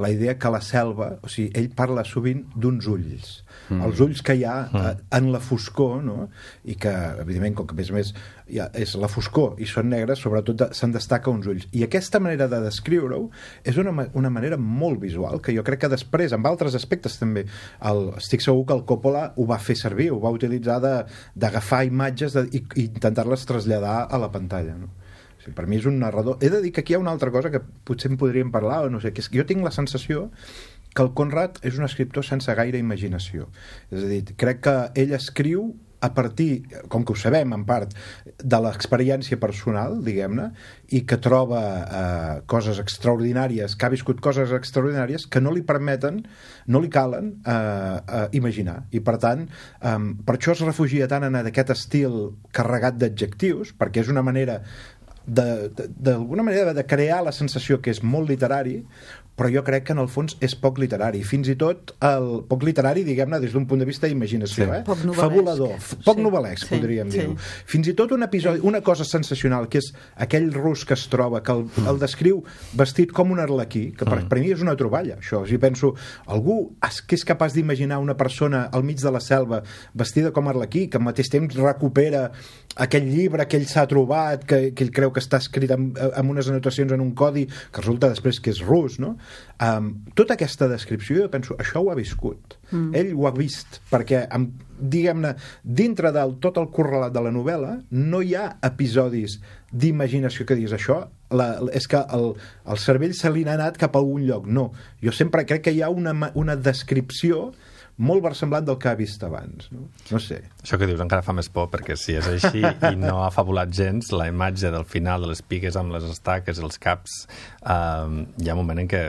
la idea que la selva, o sigui, ell parla sovint d'uns ulls, mm. els ulls que hi ha mm. en la foscor, no? I que, evidentment, com que a més a més ja és la foscor i són negres, sobretot se'n destaca uns ulls. I aquesta manera de descriure-ho és una, una manera molt visual, que jo crec que després, amb altres aspectes també, el, estic segur que el Coppola ho va fer servir, ho va utilitzar d'agafar imatges de, i, i intentar-les traslladar a la pantalla, no? Per mi és un narrador. He de dir que aquí hi ha una altra cosa que potser en podríem parlar, o no sé, que és que jo tinc la sensació que el Conrad és un escriptor sense gaire imaginació. És a dir, crec que ell escriu a partir, com que ho sabem en part, de l'experiència personal, diguem-ne, i que troba eh, coses extraordinàries, que ha viscut coses extraordinàries que no li permeten, no li calen eh, eh, imaginar. I per tant, eh, per això es refugia tant en aquest estil carregat d'adjectius, perquè és una manera d'alguna manera de crear la sensació que és molt literari, però jo crec que en el fons és poc literari, fins i tot el poc literari, diguem-ne, des d'un punt de vista d'imaginació, sí. eh? Poc novel·lesc. Fabulador, poc sí. novel·lesc, sí. podríem sí. dir-ho. Fins i tot un episodi, una cosa sensacional, que és aquell rus que es troba, que el, el descriu vestit com un arlequí, que per, per mi és una troballa, això. O sigui, penso, algú que és capaç d'imaginar una persona al mig de la selva vestida com arlequí, que al mateix temps recupera aquell llibre que ell s'ha trobat, que, que ell creu que està escrit amb, amb unes anotacions en un codi, que resulta després que és rus, no? Um, tota aquesta descripció, jo penso, això ho ha viscut. Mm. Ell ho ha vist, perquè, amb, diguem-ne, dintre del tot el correlat de la novel·la, no hi ha episodis d'imaginació que diguis això, la, és que el, el cervell se li n'ha anat cap a algun lloc. No, jo sempre crec que hi ha una, una descripció molt versemblant del que ha vist abans, no? No sé. Això que dius encara fa més por, perquè si és així i no ha fabulat gens, la imatge del final de les pigues amb les estaques, els caps, um, hi ha un moment en què...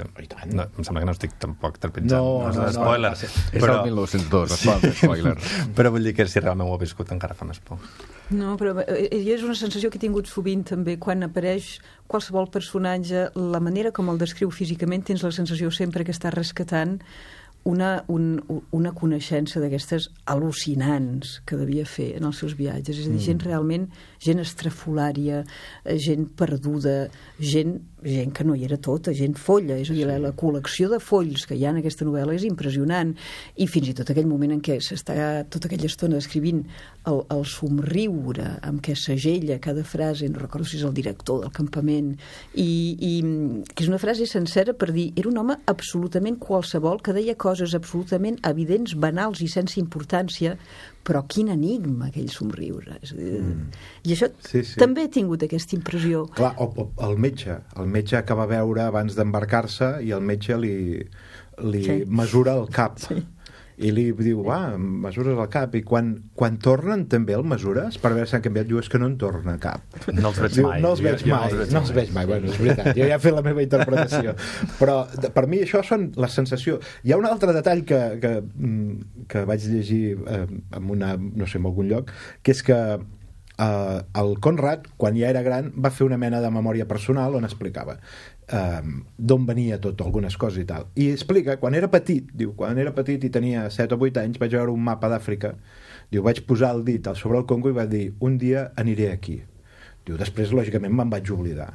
No, em sembla que no estic tampoc trepitjant. No, no, no, és spoiler. No, és però... el mil nou-cents dos, es fa spoiler. Però vull dir que si realment ho ha viscut encara fa més por. No, però és una sensació que he tingut sovint també quan apareix qualsevol personatge, la manera com el descriu físicament, tens la sensació sempre que està rescatant una, un, una coneixença d'aquestes al·lucinants que devia fer en els seus viatges. És a dir, gent realment, gent estrafolària, gent perduda, gent, gent que no hi era tota, gent folla. És a dir, la, la col·lecció de folls que hi ha en aquesta novel·la és impressionant. I fins i tot aquell moment en què s'està tota aquella estona descrivint el, el somriure amb què segella cada frase, no recordo si és el director del campament, i, i que és una frase sencera per dir, era un home absolutament qualsevol que deia coses absolutament evidents, banals i sense importància, però quin enigma aquell somriure. És a dir, mm. I això sí, sí. també he tingut aquesta impressió. Clar, o, o, el metge, el metge que va veure abans d'embarcar-se i el metge li, li sí. mesura el cap. Sí. I li diu, va, mesures el cap. I quan, quan tornen també el mesures per veure si han canviat, diu, és que no en torna cap. No els veig diu, mai. No els veig jo, mai, jo no els veig no els veig mai. Bueno, és veritat, jo ja he fet la meva interpretació. Però per mi això són la sensació. Hi ha un altre detall que, que, que vaig llegir eh, en una, no sé, en algun lloc, que és que eh, el Conrad, quan ja era gran, va fer una mena de memòria personal on explicava Um, d'on venia tot, algunes coses i tal, i explica, quan era petit diu, quan era petit i tenia set o vuit anys vaig veure un mapa d'Àfrica, diu, vaig posar el dit sobre el Congo i vaig dir, un dia aniré aquí, diu, després lògicament me'n vaig oblidar,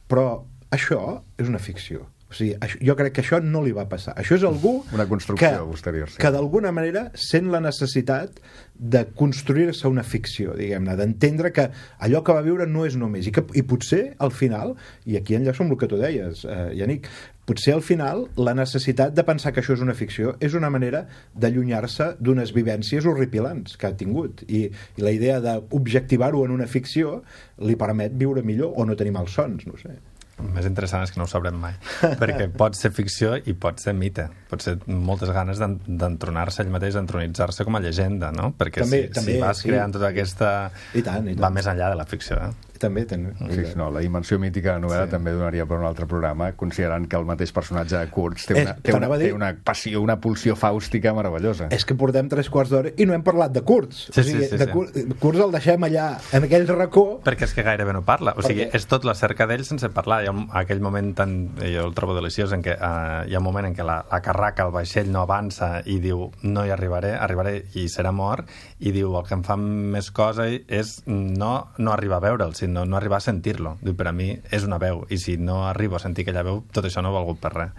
però això és una ficció. O sigui, això, jo crec que això no li va passar. Això és algú una construcció que, posterior, sí. que d'alguna manera sent la necessitat de construir-se una ficció, diguem-ne, d'entendre que allò que va viure no és només, i, que, i potser al final, i aquí enllaço amb el que tu deies, eh, Yannick, potser al final la necessitat de pensar que això és una ficció és una manera d'allunyar-se d'unes vivències horripilants que ha tingut, i, i la idea d'objectivar-ho en una ficció li permet viure millor o no tenir malsons, no sé. El més interessant és que no ho sabrem mai, perquè pot ser ficció i pot ser mite, pot ser moltes ganes d'entronar-se ell mateix, d'entronitzar-se com a llegenda, no? Perquè també, si, també, si vas sí. creant tota aquesta... I tant, i tant. Va més enllà de la ficció, eh? també tenen. Sí, sí, no, la dimensió mítica de la novel·la sí. també donaria per un altre programa, considerant que el mateix personatge de Kurtz té una, és, té una, dir... té una passió, una pulsió fàustica meravellosa. És que portem tres quarts d'hora i no hem parlat de Kurtz. Sí, o sigui, sí, sí, de sí. Kurtz, Kurtz el deixem allà, en aquell racó... Perquè és que gairebé no parla. O sigui, Perquè... és tot la cerca d'ell sense parlar. Hi ha un, aquell moment tan... Jo el trobo deliciós en què uh, hi ha un moment en què la, la carraca, el vaixell no avança i diu, no hi arribaré, arribaré i serà mort, i diu, el que em fa més cosa és no, no arribar a veure'l, sinó no arribar a sentir-lo. Diu, per a mi és una veu, i si no arribo a sentir aquella veu, tot això no ha valgut per res.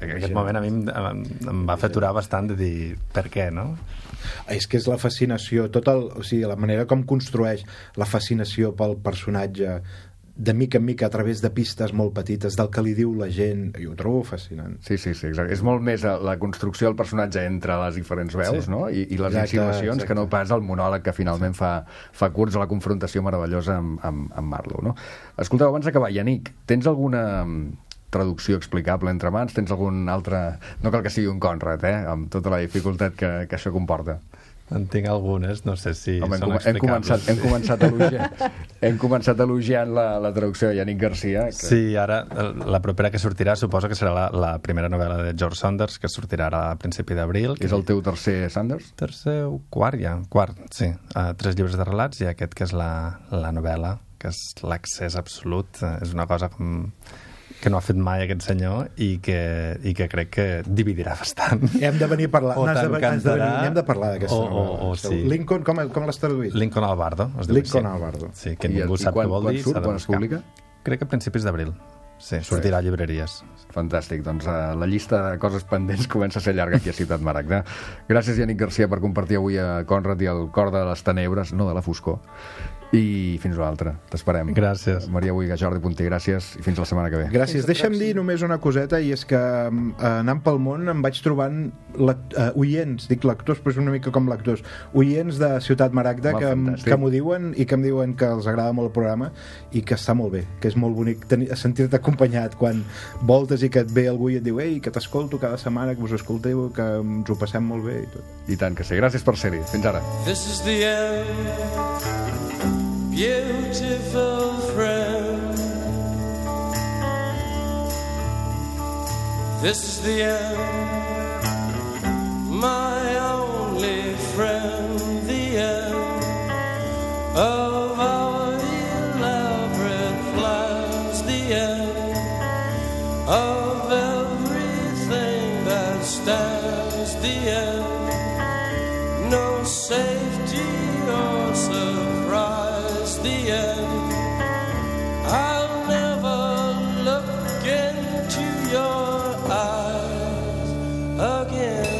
Aquest moment a mi em, em va fer aturar bastant de dir, per què, no? És que és la fascinació, tot el, o sigui, la manera com construeix la fascinació pel personatge de mica en mica a través de pistes molt petites del que li diu la gent, i ho trobo fascinant. Sí, sí, sí, exacte. És molt més la construcció del personatge entre les diferents veus, sí. no? I, i les exacte, insinuacions exacte. que no pas el monòleg que finalment sí. fa, fa Kurtz a la confrontació meravellosa amb, amb, amb Marlowe, no? Escolteu, abans d'acabar, Yannick, tens alguna traducció explicable entre mans? Tens algun altre... No cal que sigui un Conrad, eh? Amb tota la dificultat que, que això comporta. En tinc algunes, no sé si Home, són hem, hem començat, sí. hem començat elogiant, hem començat elogiant la, la traducció de Yannick Garcia. Que... Sí, ara la propera que sortirà suposo que serà la, la primera novel·la de George Saunders, que sortirà ara a principi d'abril. És el teu tercer Saunders? Tercer o quart, ja. Quart, sí. Uh, tres llibres de relats i aquest que és la, la novel·la, que és l'accés absolut. Uh, és una cosa com... que no ha fet mai aquest senyor i que, i que crec que dividirà bastant. Hem de venir a parlar. O no, has de, has de venir, hem de parlar d'aquesta o, o, o, sí. Lincoln, com, com l'has traduït? Lincoln Albardo. Es diu Lincoln així. Albardo. Sí, que I, ningú i sap quan, què vol quan dir. surt, quan es publica? Crec que a principis d'abril. Sí, sortirà a llibreries. Fantàstic, doncs uh, la llista de coses pendents comença a ser llarga aquí a Ciutat Maragda. Gràcies, Yannick Garcia, per compartir avui a Conrad i el cor de les tenebres, no de la foscor. I fins a l'altra, t'esperem. Gràcies. Maria Boiga, Jordi Punter, gràcies i fins la setmana que ve. Gràcies. Deixa'm dir només una coseta, i és que uh, anant pel món em vaig trobant uh, oients, dic lectors, però és una mica com lectors, oients de Ciutat Maragda que, que m'ho diuen i que em diuen que els agrada molt el programa i que està molt bé, que és molt bonic sentir-te acompanyat quan voltes i que et ve algú i et diu, ei, que t'escolto cada setmana, que us escolteu, que ens ho passem molt bé i tot. I tant que sí. Gràcies per ser-hi. Fins ara. This is the end. Beautiful friend, this is the end, my only friend, the end of our elaborate plans, the end of everything that stands, the end, no safety or surprise, the end. I'll never look into your eyes again.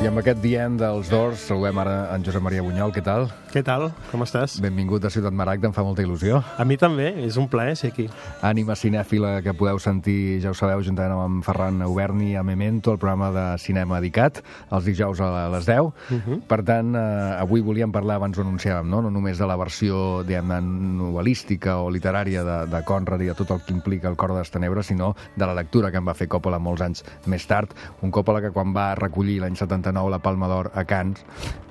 I amb aquest dient dels Doors saludem ara en Josep Maria Bunyol. Què tal? Què tal? Com estàs? Benvingut a Ciutat Maragda, em fa molta il·lusió. A mi també, és un plaer ser aquí. Ànima cinèfila que podeu sentir, ja ho sabeu, juntament amb Ferran Auberni a Memento, el programa de cinema dedicat, els dijous a les deu. Uh -huh. Per tant, eh, avui volíem parlar, abans ho anunciàvem, no, no només de la versió, diguem-ne, novel·lística o literària de, de Conrad i de tot el que implica el cor de les tenebres, sinó de la lectura que en va fer Coppola molts anys més tard. Un Coppola que quan va recollir l'any setanta-nou la Palma d'Or a Cannes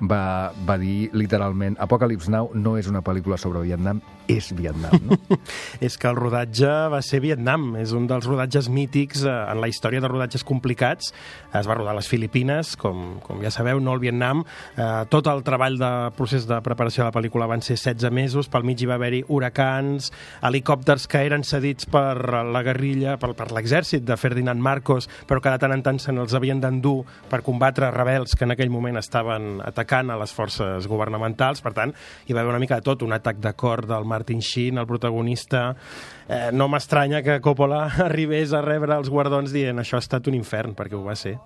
va, va dir literalment Apocalypse Now no és una pel·lícula sobre Vietnam, és Vietnam, no? És que el rodatge va ser Vietnam, és un dels rodatges mítics eh, en la història de rodatges complicats. Es va rodar a les Filipines, com, com ja sabeu, no al Vietnam. Eh, tot el treball de procés de preparació de la pel·lícula van ser setze mesos, pel mig hi va haver-hi huracans, helicòpters que eren cedits per la guerrilla, per, per l'exèrcit de Ferdinand Marcos, però que de tant en tant se n'els havien d'endur per combatre rebels que en aquell moment estaven atacant a les forces governamentals. Per tant, hi va haver una mica de tot, un atac de cor del Martin Sheen, el protagonista. Eh, no m'estranya que Coppola arribés a rebre els guardons dient això ha estat un infern, perquè ho va ser.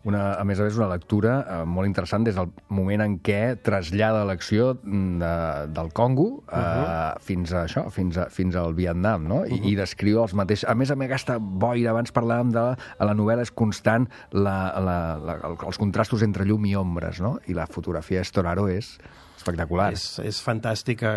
Una, a més a més, una lectura eh, molt interessant des del moment en què trasllada l'acció de, del Congo eh, uh -huh. fins a això, fins, a, fins al Vietnam, no? I, uh -huh. i descriu els mateixos... A més a més, aquesta boira, abans parlàvem de... A la novel·la és constant la, la, la, els contrastos entre llum i ombres, no? I la fotografia de Storaro és espectacular. És, és fantàstica.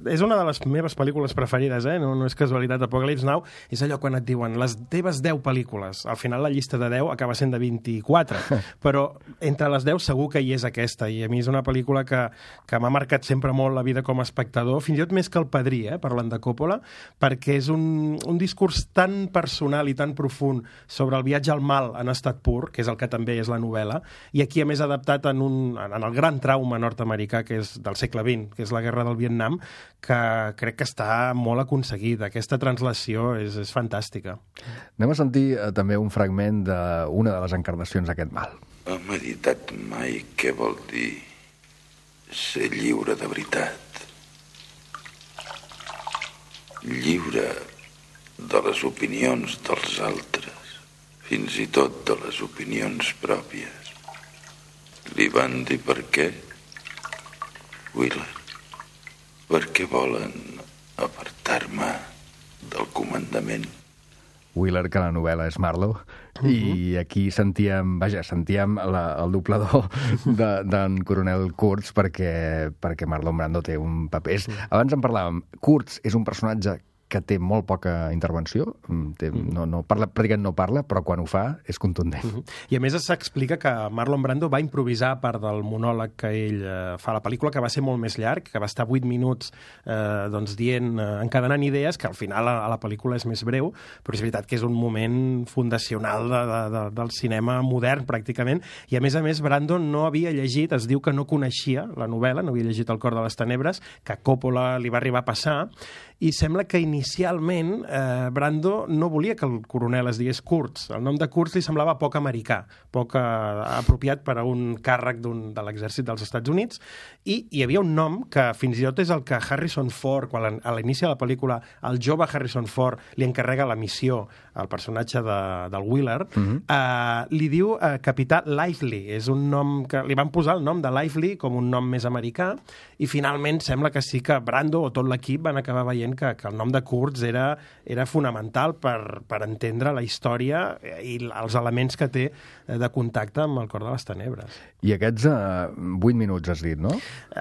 És una de les meves pel·lícules preferides, eh? no, no és casualitat. Apocalypse Now és allò quan et diuen les teves deu pel·lícules. Al final la llista de deu acaba sent de vint-i-quatre, però entre les deu segur que hi és aquesta, i a mi és una pel·lícula que, que m'ha marcat sempre molt la vida com a espectador, fins i tot més que El Padrí, eh? parlant de Coppola, perquè és un, un discurs tan personal i tan profund sobre el viatge al mal en estat pur, que és el que també és la novel·la, i aquí a més adaptat en, un, en el gran trauma nord-americà que és del segle vint, que és la guerra del Vietnam, que crec que està molt aconseguida. Aquesta translació és, és fantàstica. Anem a sentir eh, també un fragment d'una de les encarnacions d'aquest mal. He meditat mai què vol dir ser lliure de veritat. Lliure de les opinions dels altres, fins i tot de les opinions pròpies. Li van dir per què? Wheeler, per què volen apartar-me del comandament? Wheeler, que la novel·la és Marlowe, uh-huh. i aquí sentíem, vaja, sentíem la, el doblador d'en de, coronel Kurtz perquè, perquè Marlon Brando té un paper. És, abans en parlàvem, Kurtz és un personatge que té molt poca intervenció, té, no, no parla, pràcticament no parla, però quan ho fa és contundent. Uh-huh. I a més s'explica que Marlon Brando va improvisar part del monòleg que ell eh, fa a la pel·lícula, que va ser molt més llarg, que va estar vuit minuts eh, doncs, dient, eh, encadenant idees, que al final a, a la pel·lícula és més breu, però és veritat que és un moment fundacional de, de, de, del cinema modern, pràcticament, i a més a més Brando no havia llegit, es diu que no coneixia la novel·la, no havia llegit El cor de les tenebres, que a Coppola li va arribar a passar, i sembla que inicialment eh, Brando no volia que el coronel es digués Kurtz. El nom de Kurtz li semblava poc americà, poc eh, apropiat per a un càrrec de l'exèrcit dels Estats Units, i hi havia un nom que fins i tot és el que Harrison Ford, quan a l'inici de la pel·lícula el jove Harrison Ford li encarrega la missió al personatge de, del Wheeler, uh-huh. eh, li diu eh, capità Lively. És un nom que li van posar el nom de Lively com un nom més americà, i finalment sembla que sí que Brando o tot l'equip van acabar veient que, que el nom de Kurtz era, era fonamental per, per entendre la història i els elements que té de contacte amb El cor de les tenebres. I aquests uh, vuit minuts has dit, no?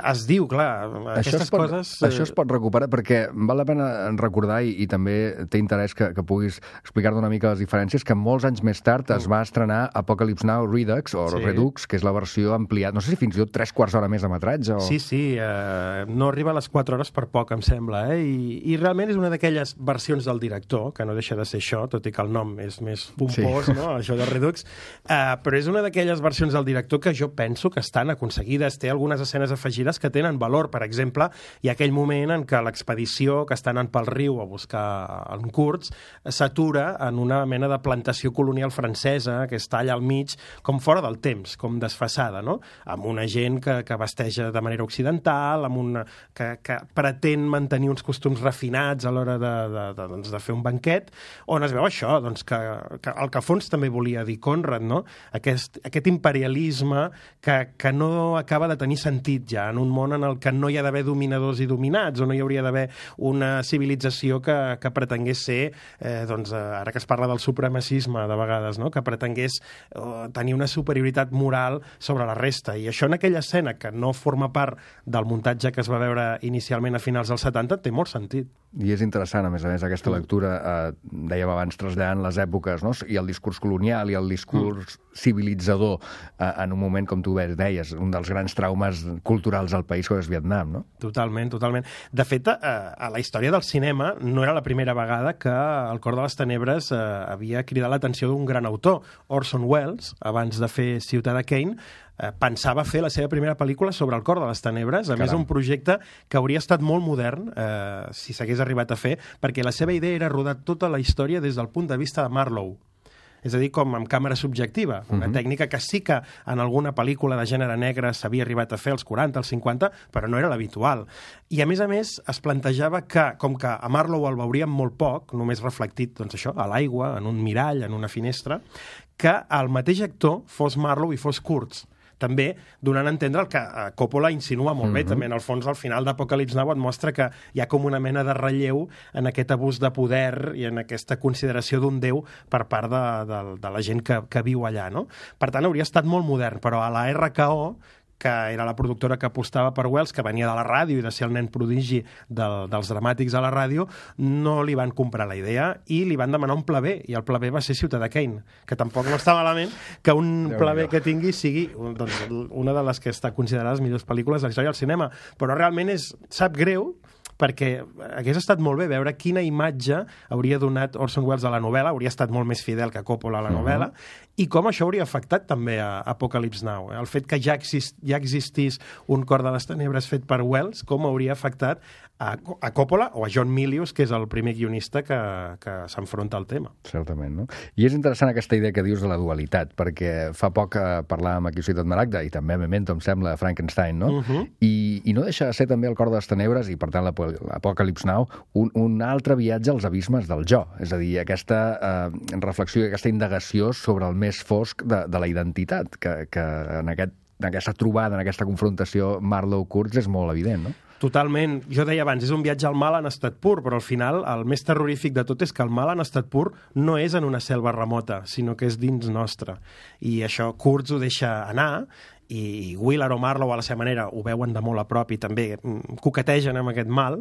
Es diu, clar, això aquestes es pot, coses... Això es pot recuperar perquè val la pena recordar i, i també té interès que, que puguis explicar-ne una mica les diferències, que molts anys més tard es va estrenar Apocalypse Now Redux, o sí. Redux, que és la versió ampliada, no sé si fins i tot tres quarts d'hora més de metratge o... Sí, sí, eh, no arriba a les quatre hores per poc, em sembla, eh? I, i realment és una d'aquelles versions del director, que no deixa de ser això, tot i que el nom és més pompós, sí. no?, això de Redux, uh, però és una d'aquelles versions del director que jo penso que estan aconseguides, té algunes escenes afegides que tenen valor. Per exemple, hi ha aquell moment en què l'expedició que està anant pel riu a buscar en Kurtz s'atura en una mena de plantació colonial francesa que està allà al mig, com fora del temps, com desfasada, no?, amb una gent que, que vesteja de manera occidental, amb una, que, que pretén mantenir uns costums refinats a l'hora de, de, de, doncs, de fer un banquet, on es veu això, doncs, que, que el que a fons també volia dir Conrad, no?, aquest, aquest imperialisme que, que no acaba de tenir sentit ja en un món en el que no hi ha d'haver dominadors i dominats, o no hi hauria d'haver una civilització que, que pretengués ser, eh, doncs, ara que es parla del supremacisme de vegades, no?, que pretengués eh, tenir una superioritat moral sobre la resta. I això en aquella escena, que no forma part del muntatge que es va veure inicialment a finals dels setanta, té molt sentit. I és interessant, a més a més, aquesta lectura, eh, dèiem abans, traslladant les èpoques, no?, i el discurs colonial i el discurs mm. civilitzador eh, en un moment, com tu deies, un dels grans traumes culturals del país, que és Vietnam, no? Totalment, totalment. De fet, eh, a la història del cinema no era la primera vegada que El cor de les tenebres eh, havia cridat l'atenció d'un gran autor. Orson Welles, abans de fer Ciutadà Kane, eh, pensava fer la seva primera pel·lícula sobre El cor de les tenebres, a Caram. més un projecte que hauria estat molt modern eh, si s'hagués arribat a fer, perquè la seva idea era rodar tota la història des del punt de vista de Marlowe. És a dir, com amb càmera subjectiva, una uh-huh. tècnica que sí que en alguna pel·lícula de gènere negre s'havia arribat a fer als quaranta, als cinquanta, però no era l'habitual. I a més a més es plantejava que, com que a Marlowe el veuríem molt poc, només reflectit, doncs això, a l'aigua, en un mirall, en una finestra, que el mateix actor fos Marlowe i fos Kurtz. També donant a entendre el que Coppola insinua molt bé, mm-hmm. també en el fons al final d'Apocalypse Now et mostra que hi ha com una mena de relleu en aquest abús de poder i en aquesta consideració d'un déu per part de, de, de la gent que, que viu allà, no? Per tant, hauria estat molt modern, però a la R K O que era la productora que apostava per Wells, que venia de la ràdio i de ser el nen prodigi del, dels dramàtics a la ràdio, no li van comprar la idea i li van demanar un pla B, i el pla B va ser Ciutadà Kane, que tampoc no està malament que un pla B que tingui sigui doncs, una de les que està considerada les millors pel·lícules de la història del cinema, però realment és, sap greu, perquè hagués estat molt bé veure quina imatge hauria donat Orson Welles a la novel·la, hauria estat molt més fidel que Coppola a la novel·la, uh-huh. i com això hauria afectat també a Apocalypse Now. Eh? El fet que ja, exist, ja existís Un cor de les tenebres fet per Welles, com hauria afectat a, a Coppola o a John Milius, que és el primer guionista que, que s'enfronta al tema. Certament, no? I és interessant aquesta idea que dius de la dualitat, perquè fa poc eh, parlàvem aquí a Ciutat Maragda, i també a Memento, em sembla, Frankenstein, no? Uh-huh. I, I no deixa de ser també El cor de les tenebres, i per tant la l'Apocalypse Now, un, un altre viatge als abismes del jo, és a dir, aquesta eh, reflexió i aquesta indagació sobre el més fosc de, de la identitat, que, que en, aquest, en aquesta trobada, en aquesta confrontació Marlowe-Kurtz és molt evident, no? Totalment. Jo deia abans, és un viatge al mal en estat pur, però al final el més terrorífic de tot és que el mal en estat pur no és en una selva remota, sinó que és dins nostre. I això Kurtz ho deixa anar, i Willard o Marlowe a la seva manera ho veuen de molt a prop i també coquetegen amb aquest mal,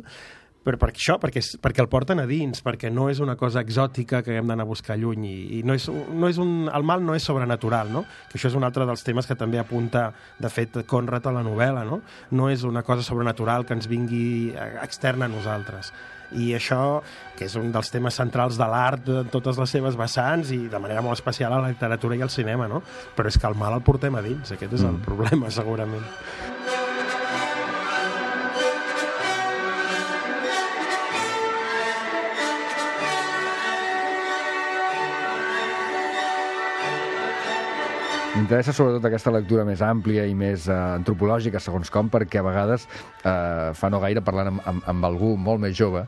però per això, perquè, perquè el porten a dins, perquè no és una cosa exòtica que hem d'anar a buscar lluny, i, i no és, no és un, el mal no és sobrenatural, no? Que això és un altre dels temes que també apunta, de fet, Conrad a la novel·la, no? No és una cosa sobrenatural que ens vingui externa a nosaltres. I això, que és un dels temes centrals de l'art de totes les seves vessants i de manera molt especial a la literatura i al cinema, no? Però és que el mal el portem a dins, aquest és el mm. problema, segurament. M'interessa sobretot aquesta lectura més àmplia i més eh, antropològica, segons com, perquè a vegades, eh, fa no gaire, parlant amb, amb, amb algú molt més jove,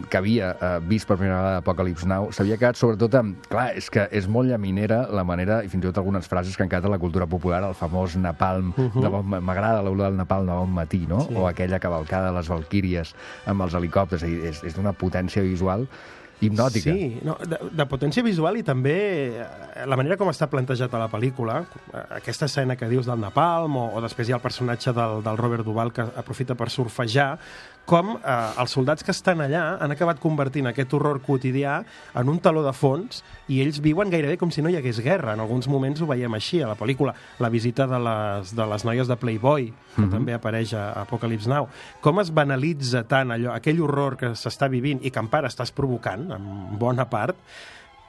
que havia eh, vist per primera vegada Apocalypse Now, s'havia quedat sobretot amb... Clar, és que és molt llaminera la manera, i fins i tot algunes frases que han quedat a la cultura popular, el famós napalm, uh-huh. de bon, m'agrada l'olor del napalm de bon matí, no? Sí. O aquella cavalcada de les valquíries amb els helicòpters, és, és d'una potència visual hipnòtica. Sí, no, de, de potència visual i també la manera com està plantejat a la pel·lícula, aquesta escena que dius del napalm, o, o després hi ha el personatge del, del Robert Duvall que aprofita per surfejar, com eh, els soldats que estan allà han acabat convertint aquest horror quotidià en un taló de fons i ells viuen gairebé com si no hi hagués guerra. En alguns moments ho veiem així a la pel·lícula. La visita de les, de les noies de Playboy, que mm-hmm. també apareix a Apocalypse Now. Com es banalitza tant allò, aquell horror que s'està vivint i que en part estàs provocant, en bona part,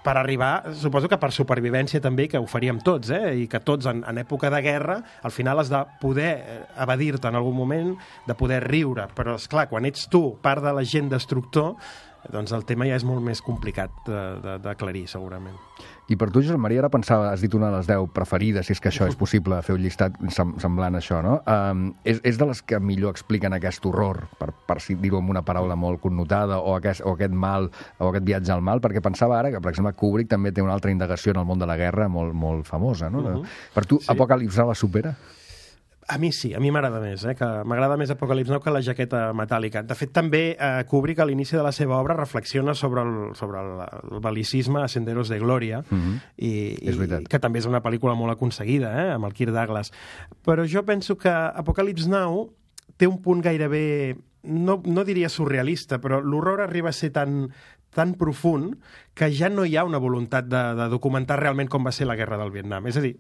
per arribar, suposo que per supervivència també, que ho faríem tots, eh? I que tots en, en època de guerra al final has de poder evadir-te en algun moment, de poder riure, però és clar, quan ets tu part de l'agent destructor, doncs el tema ja és molt més complicat d'aclarir, segurament. I per tu, Josep Maria, ara pensava, has dit una de les deu preferides, si és que això és possible, fer un llistat semblant a això, no? Um, és, és de les que millor expliquen aquest horror, per, per dir-ho amb una paraula molt connotada, o aquest, o aquest mal, o aquest viatge al mal, perquè pensava ara que, per exemple, Kubrick també té una altra indagació en el món de la guerra molt, molt famosa, no? Uh-huh. Per tu, sí. Apocalypse Now la supera? A mi sí, a mi m'agrada més, eh? Que m'agrada més Apocalypse Now que la jaqueta metàl·lica. De fet, també eh, Kubrick a l'inici de la seva obra reflexiona sobre el, sobre el, el bel·licisme a Senderos de Gloria, mm-hmm. i, i que també és una pel·lícula molt aconseguida, eh? Amb el Kirk Douglas. Però jo penso que Apocalypse Now té un punt gairebé, no, no diria surrealista, però l'horror arriba a ser tan, tan profund que ja no hi ha una voluntat de, de documentar realment com va ser la guerra del Vietnam. És a dir,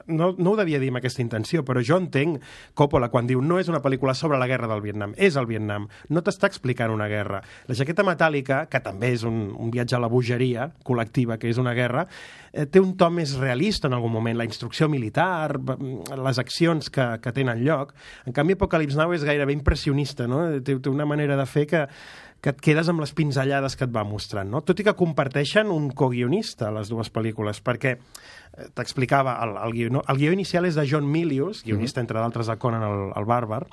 no, no ho devia dir amb aquesta intenció, però jo entenc Coppola quan diu no és una pel·lícula sobre la guerra del Vietnam, és el Vietnam, no t'està explicant una guerra. La jaqueta metàl·lica, que també és un, un viatge a la bogeria col·lectiva, que és una guerra, eh, té un to més realista en algun moment, la instrucció militar, les accions que, que tenen lloc. En canvi, Apocalypse Now és gairebé impressionista, no? Té, té una manera de fer que que et quedes amb les pinzellades que et va mostrant, no? Tot i que comparteixen un coguionista, les dues pel·lícules, perquè t'explicava, el, el, guió, el guió inicial és de John Milius, guionista, mm-hmm. entre d'altres, de Conan el, el Bàrbar,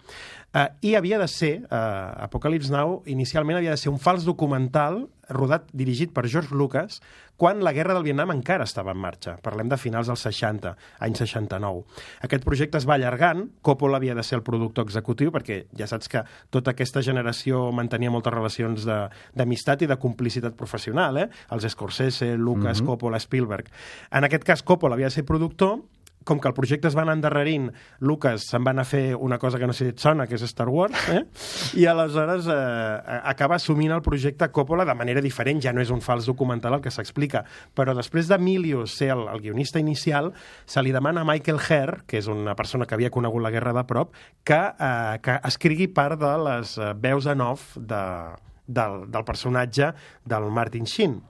eh, i havia de ser, eh, Apocalypse Now, inicialment havia de ser un fals documental rodat, dirigit per George Lucas, quan la guerra del Vietnam encara estava en marxa. Parlem de finals dels seixanta, any seixanta-nou. Aquest projecte es va allargant, Coppola havia de ser el productor executiu, perquè ja saps que tota aquesta generació mantenia moltes relacions d'amistat i de complicitat professional, eh? Els Scorsese, Lucas, mm-hmm. Coppola, Spielberg. En aquest cas, Coppola havia de ser productor, com que el projecte es va anar endarrerint, Lucas se'n va anar a fer una cosa que no sé si et sona, que és Star Wars, eh? I aleshores eh, acaba assumint el projecte Coppola de manera diferent, ja no és un fals documental el que s'explica, però després de Milius ser el, el guionista inicial, se li demana a Michael Herr, que és una persona que havia conegut la guerra de prop, que, eh, que escrigui part de les veus en off de, del, del personatge del Martin Sheen.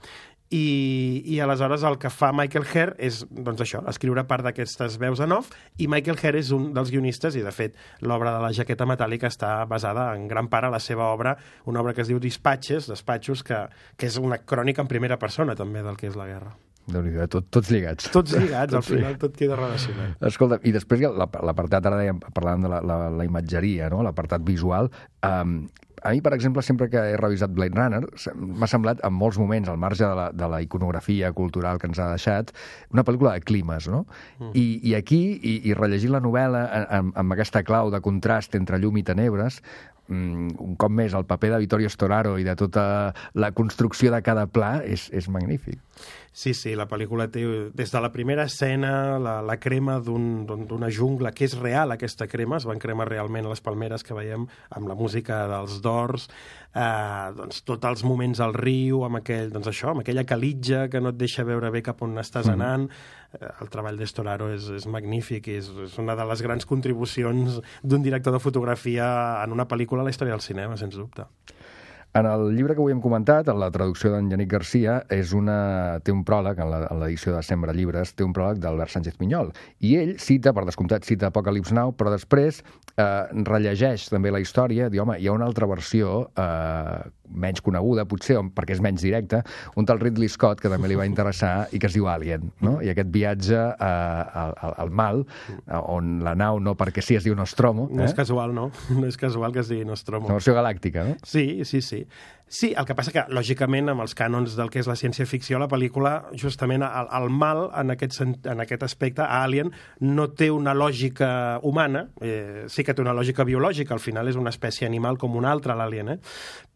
I, i aleshores el que fa Michael Herr és, doncs això, escriure part d'aquestes veus en off, i Michael Herr és un dels guionistes, i de fet l'obra de la jaqueta metàl·lica està basada en gran part a la seva obra, una obra que es diu Dispatches, Despatxos, que, que és una crònica en primera persona també del que és la guerra. Déu-n'hi-do, tot, tots lligats. Tots lligats, al final tot queda relacionat. Escolta, i després l'apartat, ara dèiem, parlàvem de la, la, la imatgeria, no? L'apartat visual, um, a mi, per exemple, sempre que he revisat Blade Runner, m'ha semblat, en molts moments, al marge de la, de la iconografia cultural que ens ha deixat, una pel·lícula de climes, no? Mm. I, I aquí, i, i rellegint la novel·la amb, amb aquesta clau de contrast entre llum i tenebres, un cop més, el paper de Vittorio Storaro i de tota la construcció de cada pla és, és magnífic. Sí, sí, la pel·lícula té, des de la primera escena, la, la crema d'un, d'una jungla, que és real, aquesta crema, es van cremar realment les palmeres que veiem amb la música dels Doors, eh, doncs tots els moments al riu, amb aquell, doncs això, amb aquella calitja que no et deixa veure bé cap on estàs anant. Mm. El treball de Storaro és, és magnífic, és, és una de les grans contribucions d'un director de fotografia en una pel·lícula a la història del cinema, sens dubte. En el llibre que avui hem comentat, en la traducció d'en Yannick Garcia, és una... té un pròleg, en l'edició de Sembra Llibres, té un pròleg d'Albert Sánchez Pinyol. I ell cita, per descomptat, cita Apocalypse Now, però després eh, rellegeix també la història, diu, home, hi ha una altra versió eh, menys coneguda, potser, perquè és menys directa, un tal Ridley Scott, que també li va interessar, i que es diu Alien, no? I aquest viatge eh, al, al mal, eh, on la nau no perquè sí es diu Nostromo. No eh? és casual, no? No és casual que es digui Nostromo. Una versió galàctica, no? Sí, sí, sí. Sí, el que passa que, lògicament, amb els cànons del que és la ciència-ficció, la pel·lícula, justament, el, el mal, en aquest, en aquest aspecte, a Alien, no té una lògica humana, eh, sí que té una lògica biològica, al final és una espècie animal com una altra, l'Alien, eh?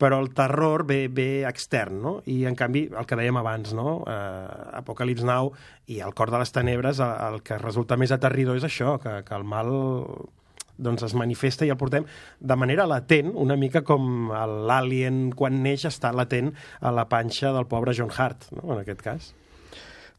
Però el terror ve, ve extern, no? I, en canvi, el que dèiem abans, no? Eh, Apocalypse Now i El cor de les tenebres, el, el que resulta més aterridor és això, que, que el mal... doncs es manifesta i el portem de manera latent, una mica com l'Alien quan neix està latent a la panxa del pobre John Hurt, no? En aquest cas.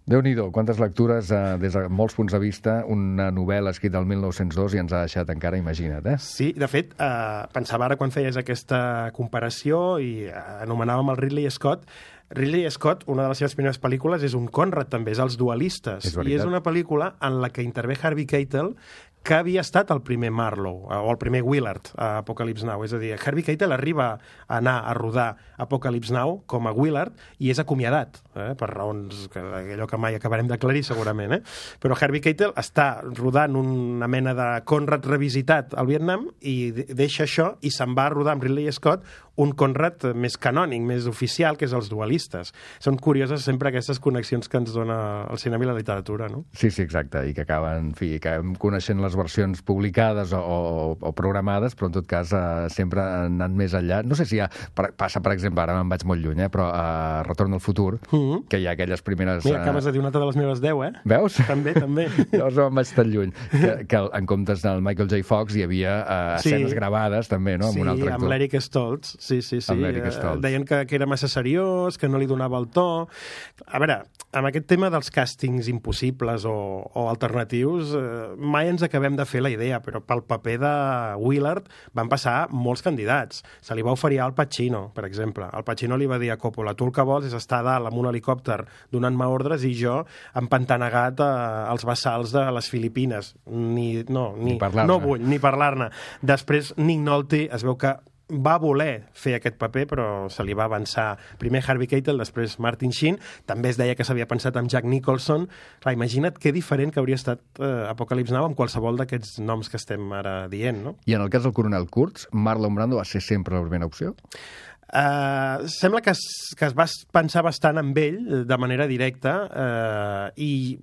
Déu-n'hi-do, quantes lectures eh, des de molts punts de vista, una novel·la escrita el mil nou-cents dos i ens ha deixat encara, imagina't, eh? Sí, de fet, eh, pensava ara quan feies aquesta comparació i eh, anomenàvem el Ridley Scott. Ridley Scott, una de les seves primeres pel·lícules és un Conrad, també, és Els dualistes. És I és una pel·lícula en la que intervé Harvey Keitel, que havia estat el primer Marlowe, o el primer Willard a Apocalypse Now. És a dir, Harvey Keitel arriba a anar a rodar Apocalypse Now com a Willard i és acomiadat, eh? Per raons que allò que mai acabarem d'aclarir segurament. Eh? Però Harvey Keitel està rodant una mena de Conrad revisitat al Vietnam i deixa això i se'n va a rodar amb Ridley Scott un Conrad més canònic, més oficial, que és Els dualistes. Són curioses sempre aquestes connexions que ens dona el cinema i la literatura, no? Sí, sí, exacte, i que acaben, en fi, que acabem coneixent les versions publicades o, o, o programades, però en tot cas eh, sempre han anat més enllà. No sé si hi ha, per, passa, per exemple, ara me'n vaig molt lluny, eh, però a uh, Retorn al futur, mm-hmm. que hi ha aquelles primeres... Mira, acabes de dir una altra de les meves deu, eh? Veus? També, també. Llavors no me'n vaig tan lluny. Que, que en comptes del Michael J. Fox hi havia uh, sí. escenes gravades, també, no? Amb sí, un altre actor. amb l'Eric Stoltz. Sí, sí, sí. Amb l'Eric Stoltz. Deien que, que era massa seriós, que no li donava el to. A veure, amb aquest tema dels càstings impossibles o, o alternatius, eh, mai ens acabem de fer la idea, però pel paper de Willard van passar molts candidats. Se li va oferir Al Pacino, per exemple. Al Pacino li va dir a Coppola, tu el que vols és estar dalt amb un helicòpter donant-me ordres i jo empantanegat als bassals de les Filipines. Ni, no, ni, ni no vull ni parlar-ne. Després, Nick Nolte es veu que va voler fer aquest paper, però se li va avançar primer Harvey Keitel, després Martin Sheen. També es deia que s'havia pensat amb Jack Nicholson. Clar, imagina't que diferent que hauria estat eh, Apocalypse Now amb qualsevol d'aquests noms que estem ara dient, no? I en el cas del coronel Kurtz, Marlon Brando va ser sempre la primera opció? Uh, sembla que es, que es va pensar bastant amb ell de manera directa uh, i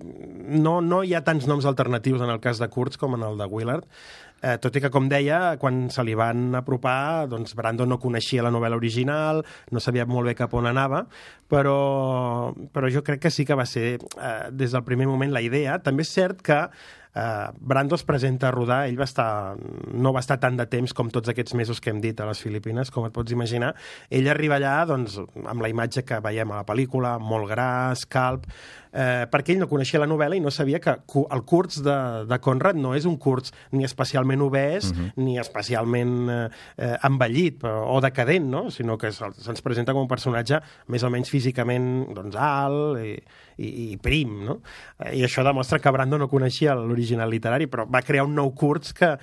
no, no hi ha tants noms alternatius en el cas de Kurtz com en el de Willard. Eh, tot i que, com deia, quan se li van apropar, doncs Brando no coneixia la novel·la original, no sabia molt bé cap on anava, però, però jo crec que sí que va ser, eh, des del primer moment, la idea. També és cert que Uh, Brando es presenta a rodar, ell va estar, no va estar tant de temps com tots aquests mesos que hem dit a les Filipines, com et pots imaginar. Ell arriba allà doncs, amb la imatge que veiem a la pel·lícula, molt gras, calb, eh, perquè ell no coneixia la novel·la i no sabia que el Kurtz de, de Conrad no és un Kurtz ni especialment obès, uh-huh. ni especialment eh, envellit o decadent, no? Sinó que se'ns presenta com un personatge més o menys físicament doncs, alt i, i, i prim, no? I això demostra que Brando no coneixia l'original literari, però va crear un nou Kurtz que,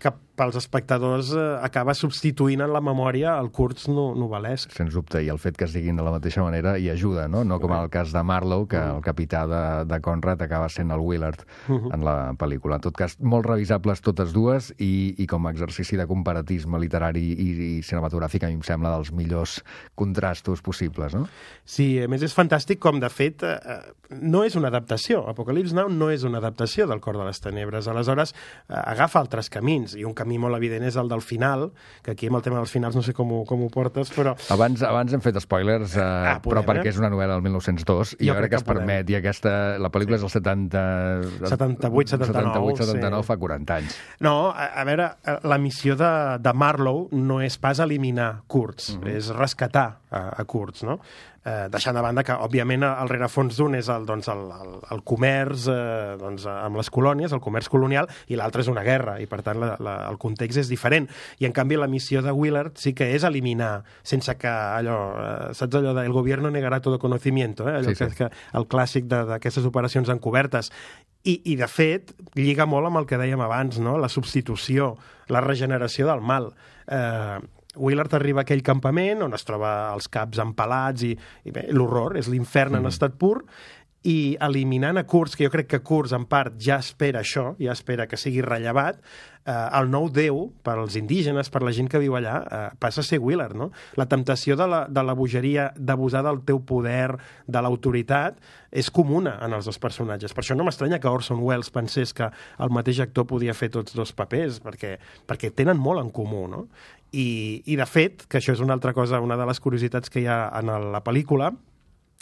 que pels espectadors eh, acaba substituint en la memòria el Kurtz no, novel·lesc. Sens dubte, i el fet que es diguin de la mateixa manera hi ajuda, no? No com el cas de Marlowe, que el capità de, de Conrad acaba sent el Willard uh-huh. en la pel·lícula. En tot cas, molt revisables totes dues i, i com a exercici de comparatisme literari i, i cinematogràfic a mi em sembla dels millors contrastos possibles, no? Sí, a més és fantàstic com, de fet, eh, no és una adaptació. Apocalypse Now no és una adaptació del Cor de les Tenebres. Aleshores, eh, agafa altres camins, i un camí molt evident és el del final, que aquí amb el tema dels finals no sé com ho, com ho portes, però... Abans, abans hem fet spoilers, eh, ah, podem, però perquè és una novel·la del mil nou-cents dos, i jo, jo crec que es podem. permet, i aquesta, la pel·lícula sí. és del setanta... setanta-vuit setanta-nou, setanta-nou sí. fa quaranta anys. No, a, a veure, la missió de, de Marlowe no és pas eliminar Kurtz, uh-huh. és rescatar a, a Kurtz, no? Eh, deixant de banda que, òbviament, el rerefons d'un és el, doncs, el, el, el comerç eh, doncs, amb les colònies, el comerç colonial, i l'altre és una guerra, i per tant la, la, el context és diferent. I en canvi la missió de Willard sí que és eliminar, sense que allò, eh, saps allò de el gobierno negará todo conocimiento, eh? allò sí, que, sí. que el clàssic d'aquestes operacions encobertes. I, I, de fet, lliga molt amb el que dèiem abans, no? La substitució, la regeneració del mal. Eh, Willard arriba a aquell campament on es troba els caps empalats i, i bé, l'horror, és l'infern mm. en estat pur, i eliminant a Kurtz, que jo crec que Kurtz en part ja espera això, ja espera que sigui rellevat, eh, el nou déu, per als indígenes, per la gent que viu allà, eh, passa a ser Willard, no? La temptació de la, de la bogeria, d'abusar del teu poder, de l'autoritat, és comuna en els dos personatges. Per això no m'estranya que Orson Welles pensés que el mateix actor podia fer tots dos papers, perquè, perquè tenen molt en comú, no? I, i de fet, que això és una altra cosa, una de les curiositats que hi ha en la pel·lícula,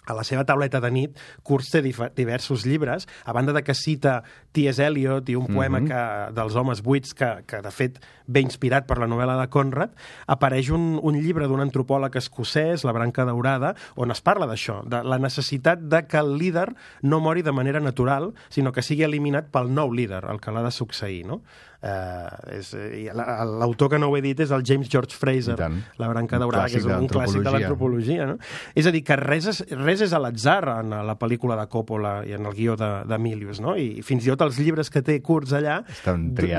a la seva tauleta de nit, Kurtz té diversos llibres, a banda de que cita T S Eliot i un poema mm-hmm. que, dels homes buits, que, que de fet ve inspirat per la novel·la de Conrad, apareix un, un llibre d'un antropòleg escocès, La branca daurada, on es parla d'això, de la necessitat de que el líder no mori de manera natural, sinó que sigui eliminat pel nou líder, el que l'ha de succeir, no? Uh, és, l'autor que no ho he dit és el James George Fraser, La branca daurada, que és un clàssic de l'antropologia, no? És a dir, que res és, res és a l'atzar en la pel·lícula de Coppola i en el guió d'Emilius, no? I fins i tot els llibres que té Kurtz allà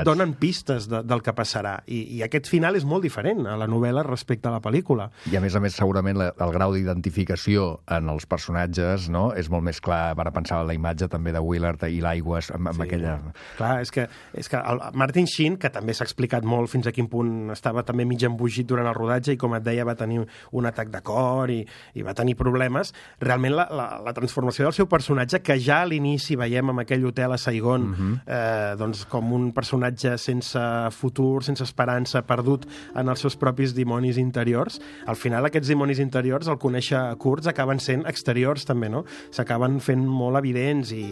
donen pistes de, del que passarà. I, I aquest final és molt diferent a la novel·la respecte a la pel·lícula. I a més a més, segurament, la, el grau d'identificació en els personatges, no?, és molt més clar. Ara pensava en la imatge també de Willard i l'aigües, amb, amb sí, aquella... Clar, és que, és que el Martin Sheen, que també s'ha explicat molt fins a quin punt estava també mig embogit durant el rodatge i, com et deia, va tenir un atac de cor i, i va tenir problemes, realment la, la, la transformació del seu personatge, que ja a l'inici veiem en aquell hotel a Saigon, uh-huh. eh, doncs com un personatge sense futur, sense esperança, perdut en els seus propis dimonis interiors, al final aquests dimonis interiors, al conèixer Kurtz, acaben sent exteriors també, no? S'acaben fent molt evidents i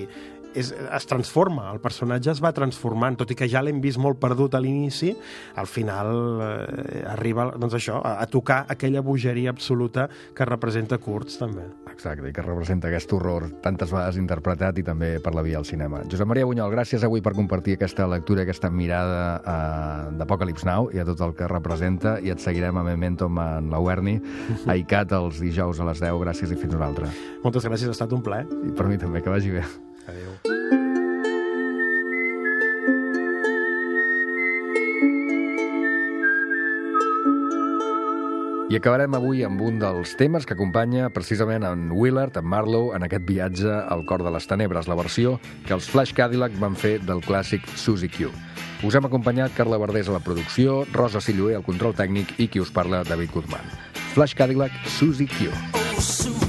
és, es transforma, el personatge es va transformant, tot i que ja l'hem vist molt perdut a l'inici, al final eh, arriba, doncs això, a, a tocar aquella bogeria absoluta que representa Kurtz, també. Exacte, i que representa aquest horror tantes vegades interpretat i també per la via del cinema. Josep Maria Bunyol, gràcies avui per compartir aquesta lectura, aquesta mirada eh, d'Apocalypse Now i a tot el que representa, i et seguirem a Memento en la Werni, a I C A T els dijous a les deu. Gràcies i fins una altra. Moltes gràcies, ha estat un plaer. I per mi també, que vagi bé. Adéu. I acabarem avui amb un dels temes que acompanya precisament en Willard, en Marlowe, en aquest viatge al cor de les tenebres, la versió que els Flash Cadillac van fer del clàssic Suzy Q. Us hem acompanyat Carla Verdés a la producció, Rosa Silloé al control tècnic i qui us parla, David Guzmán. Flash Cadillac, Suzy Q. Oh,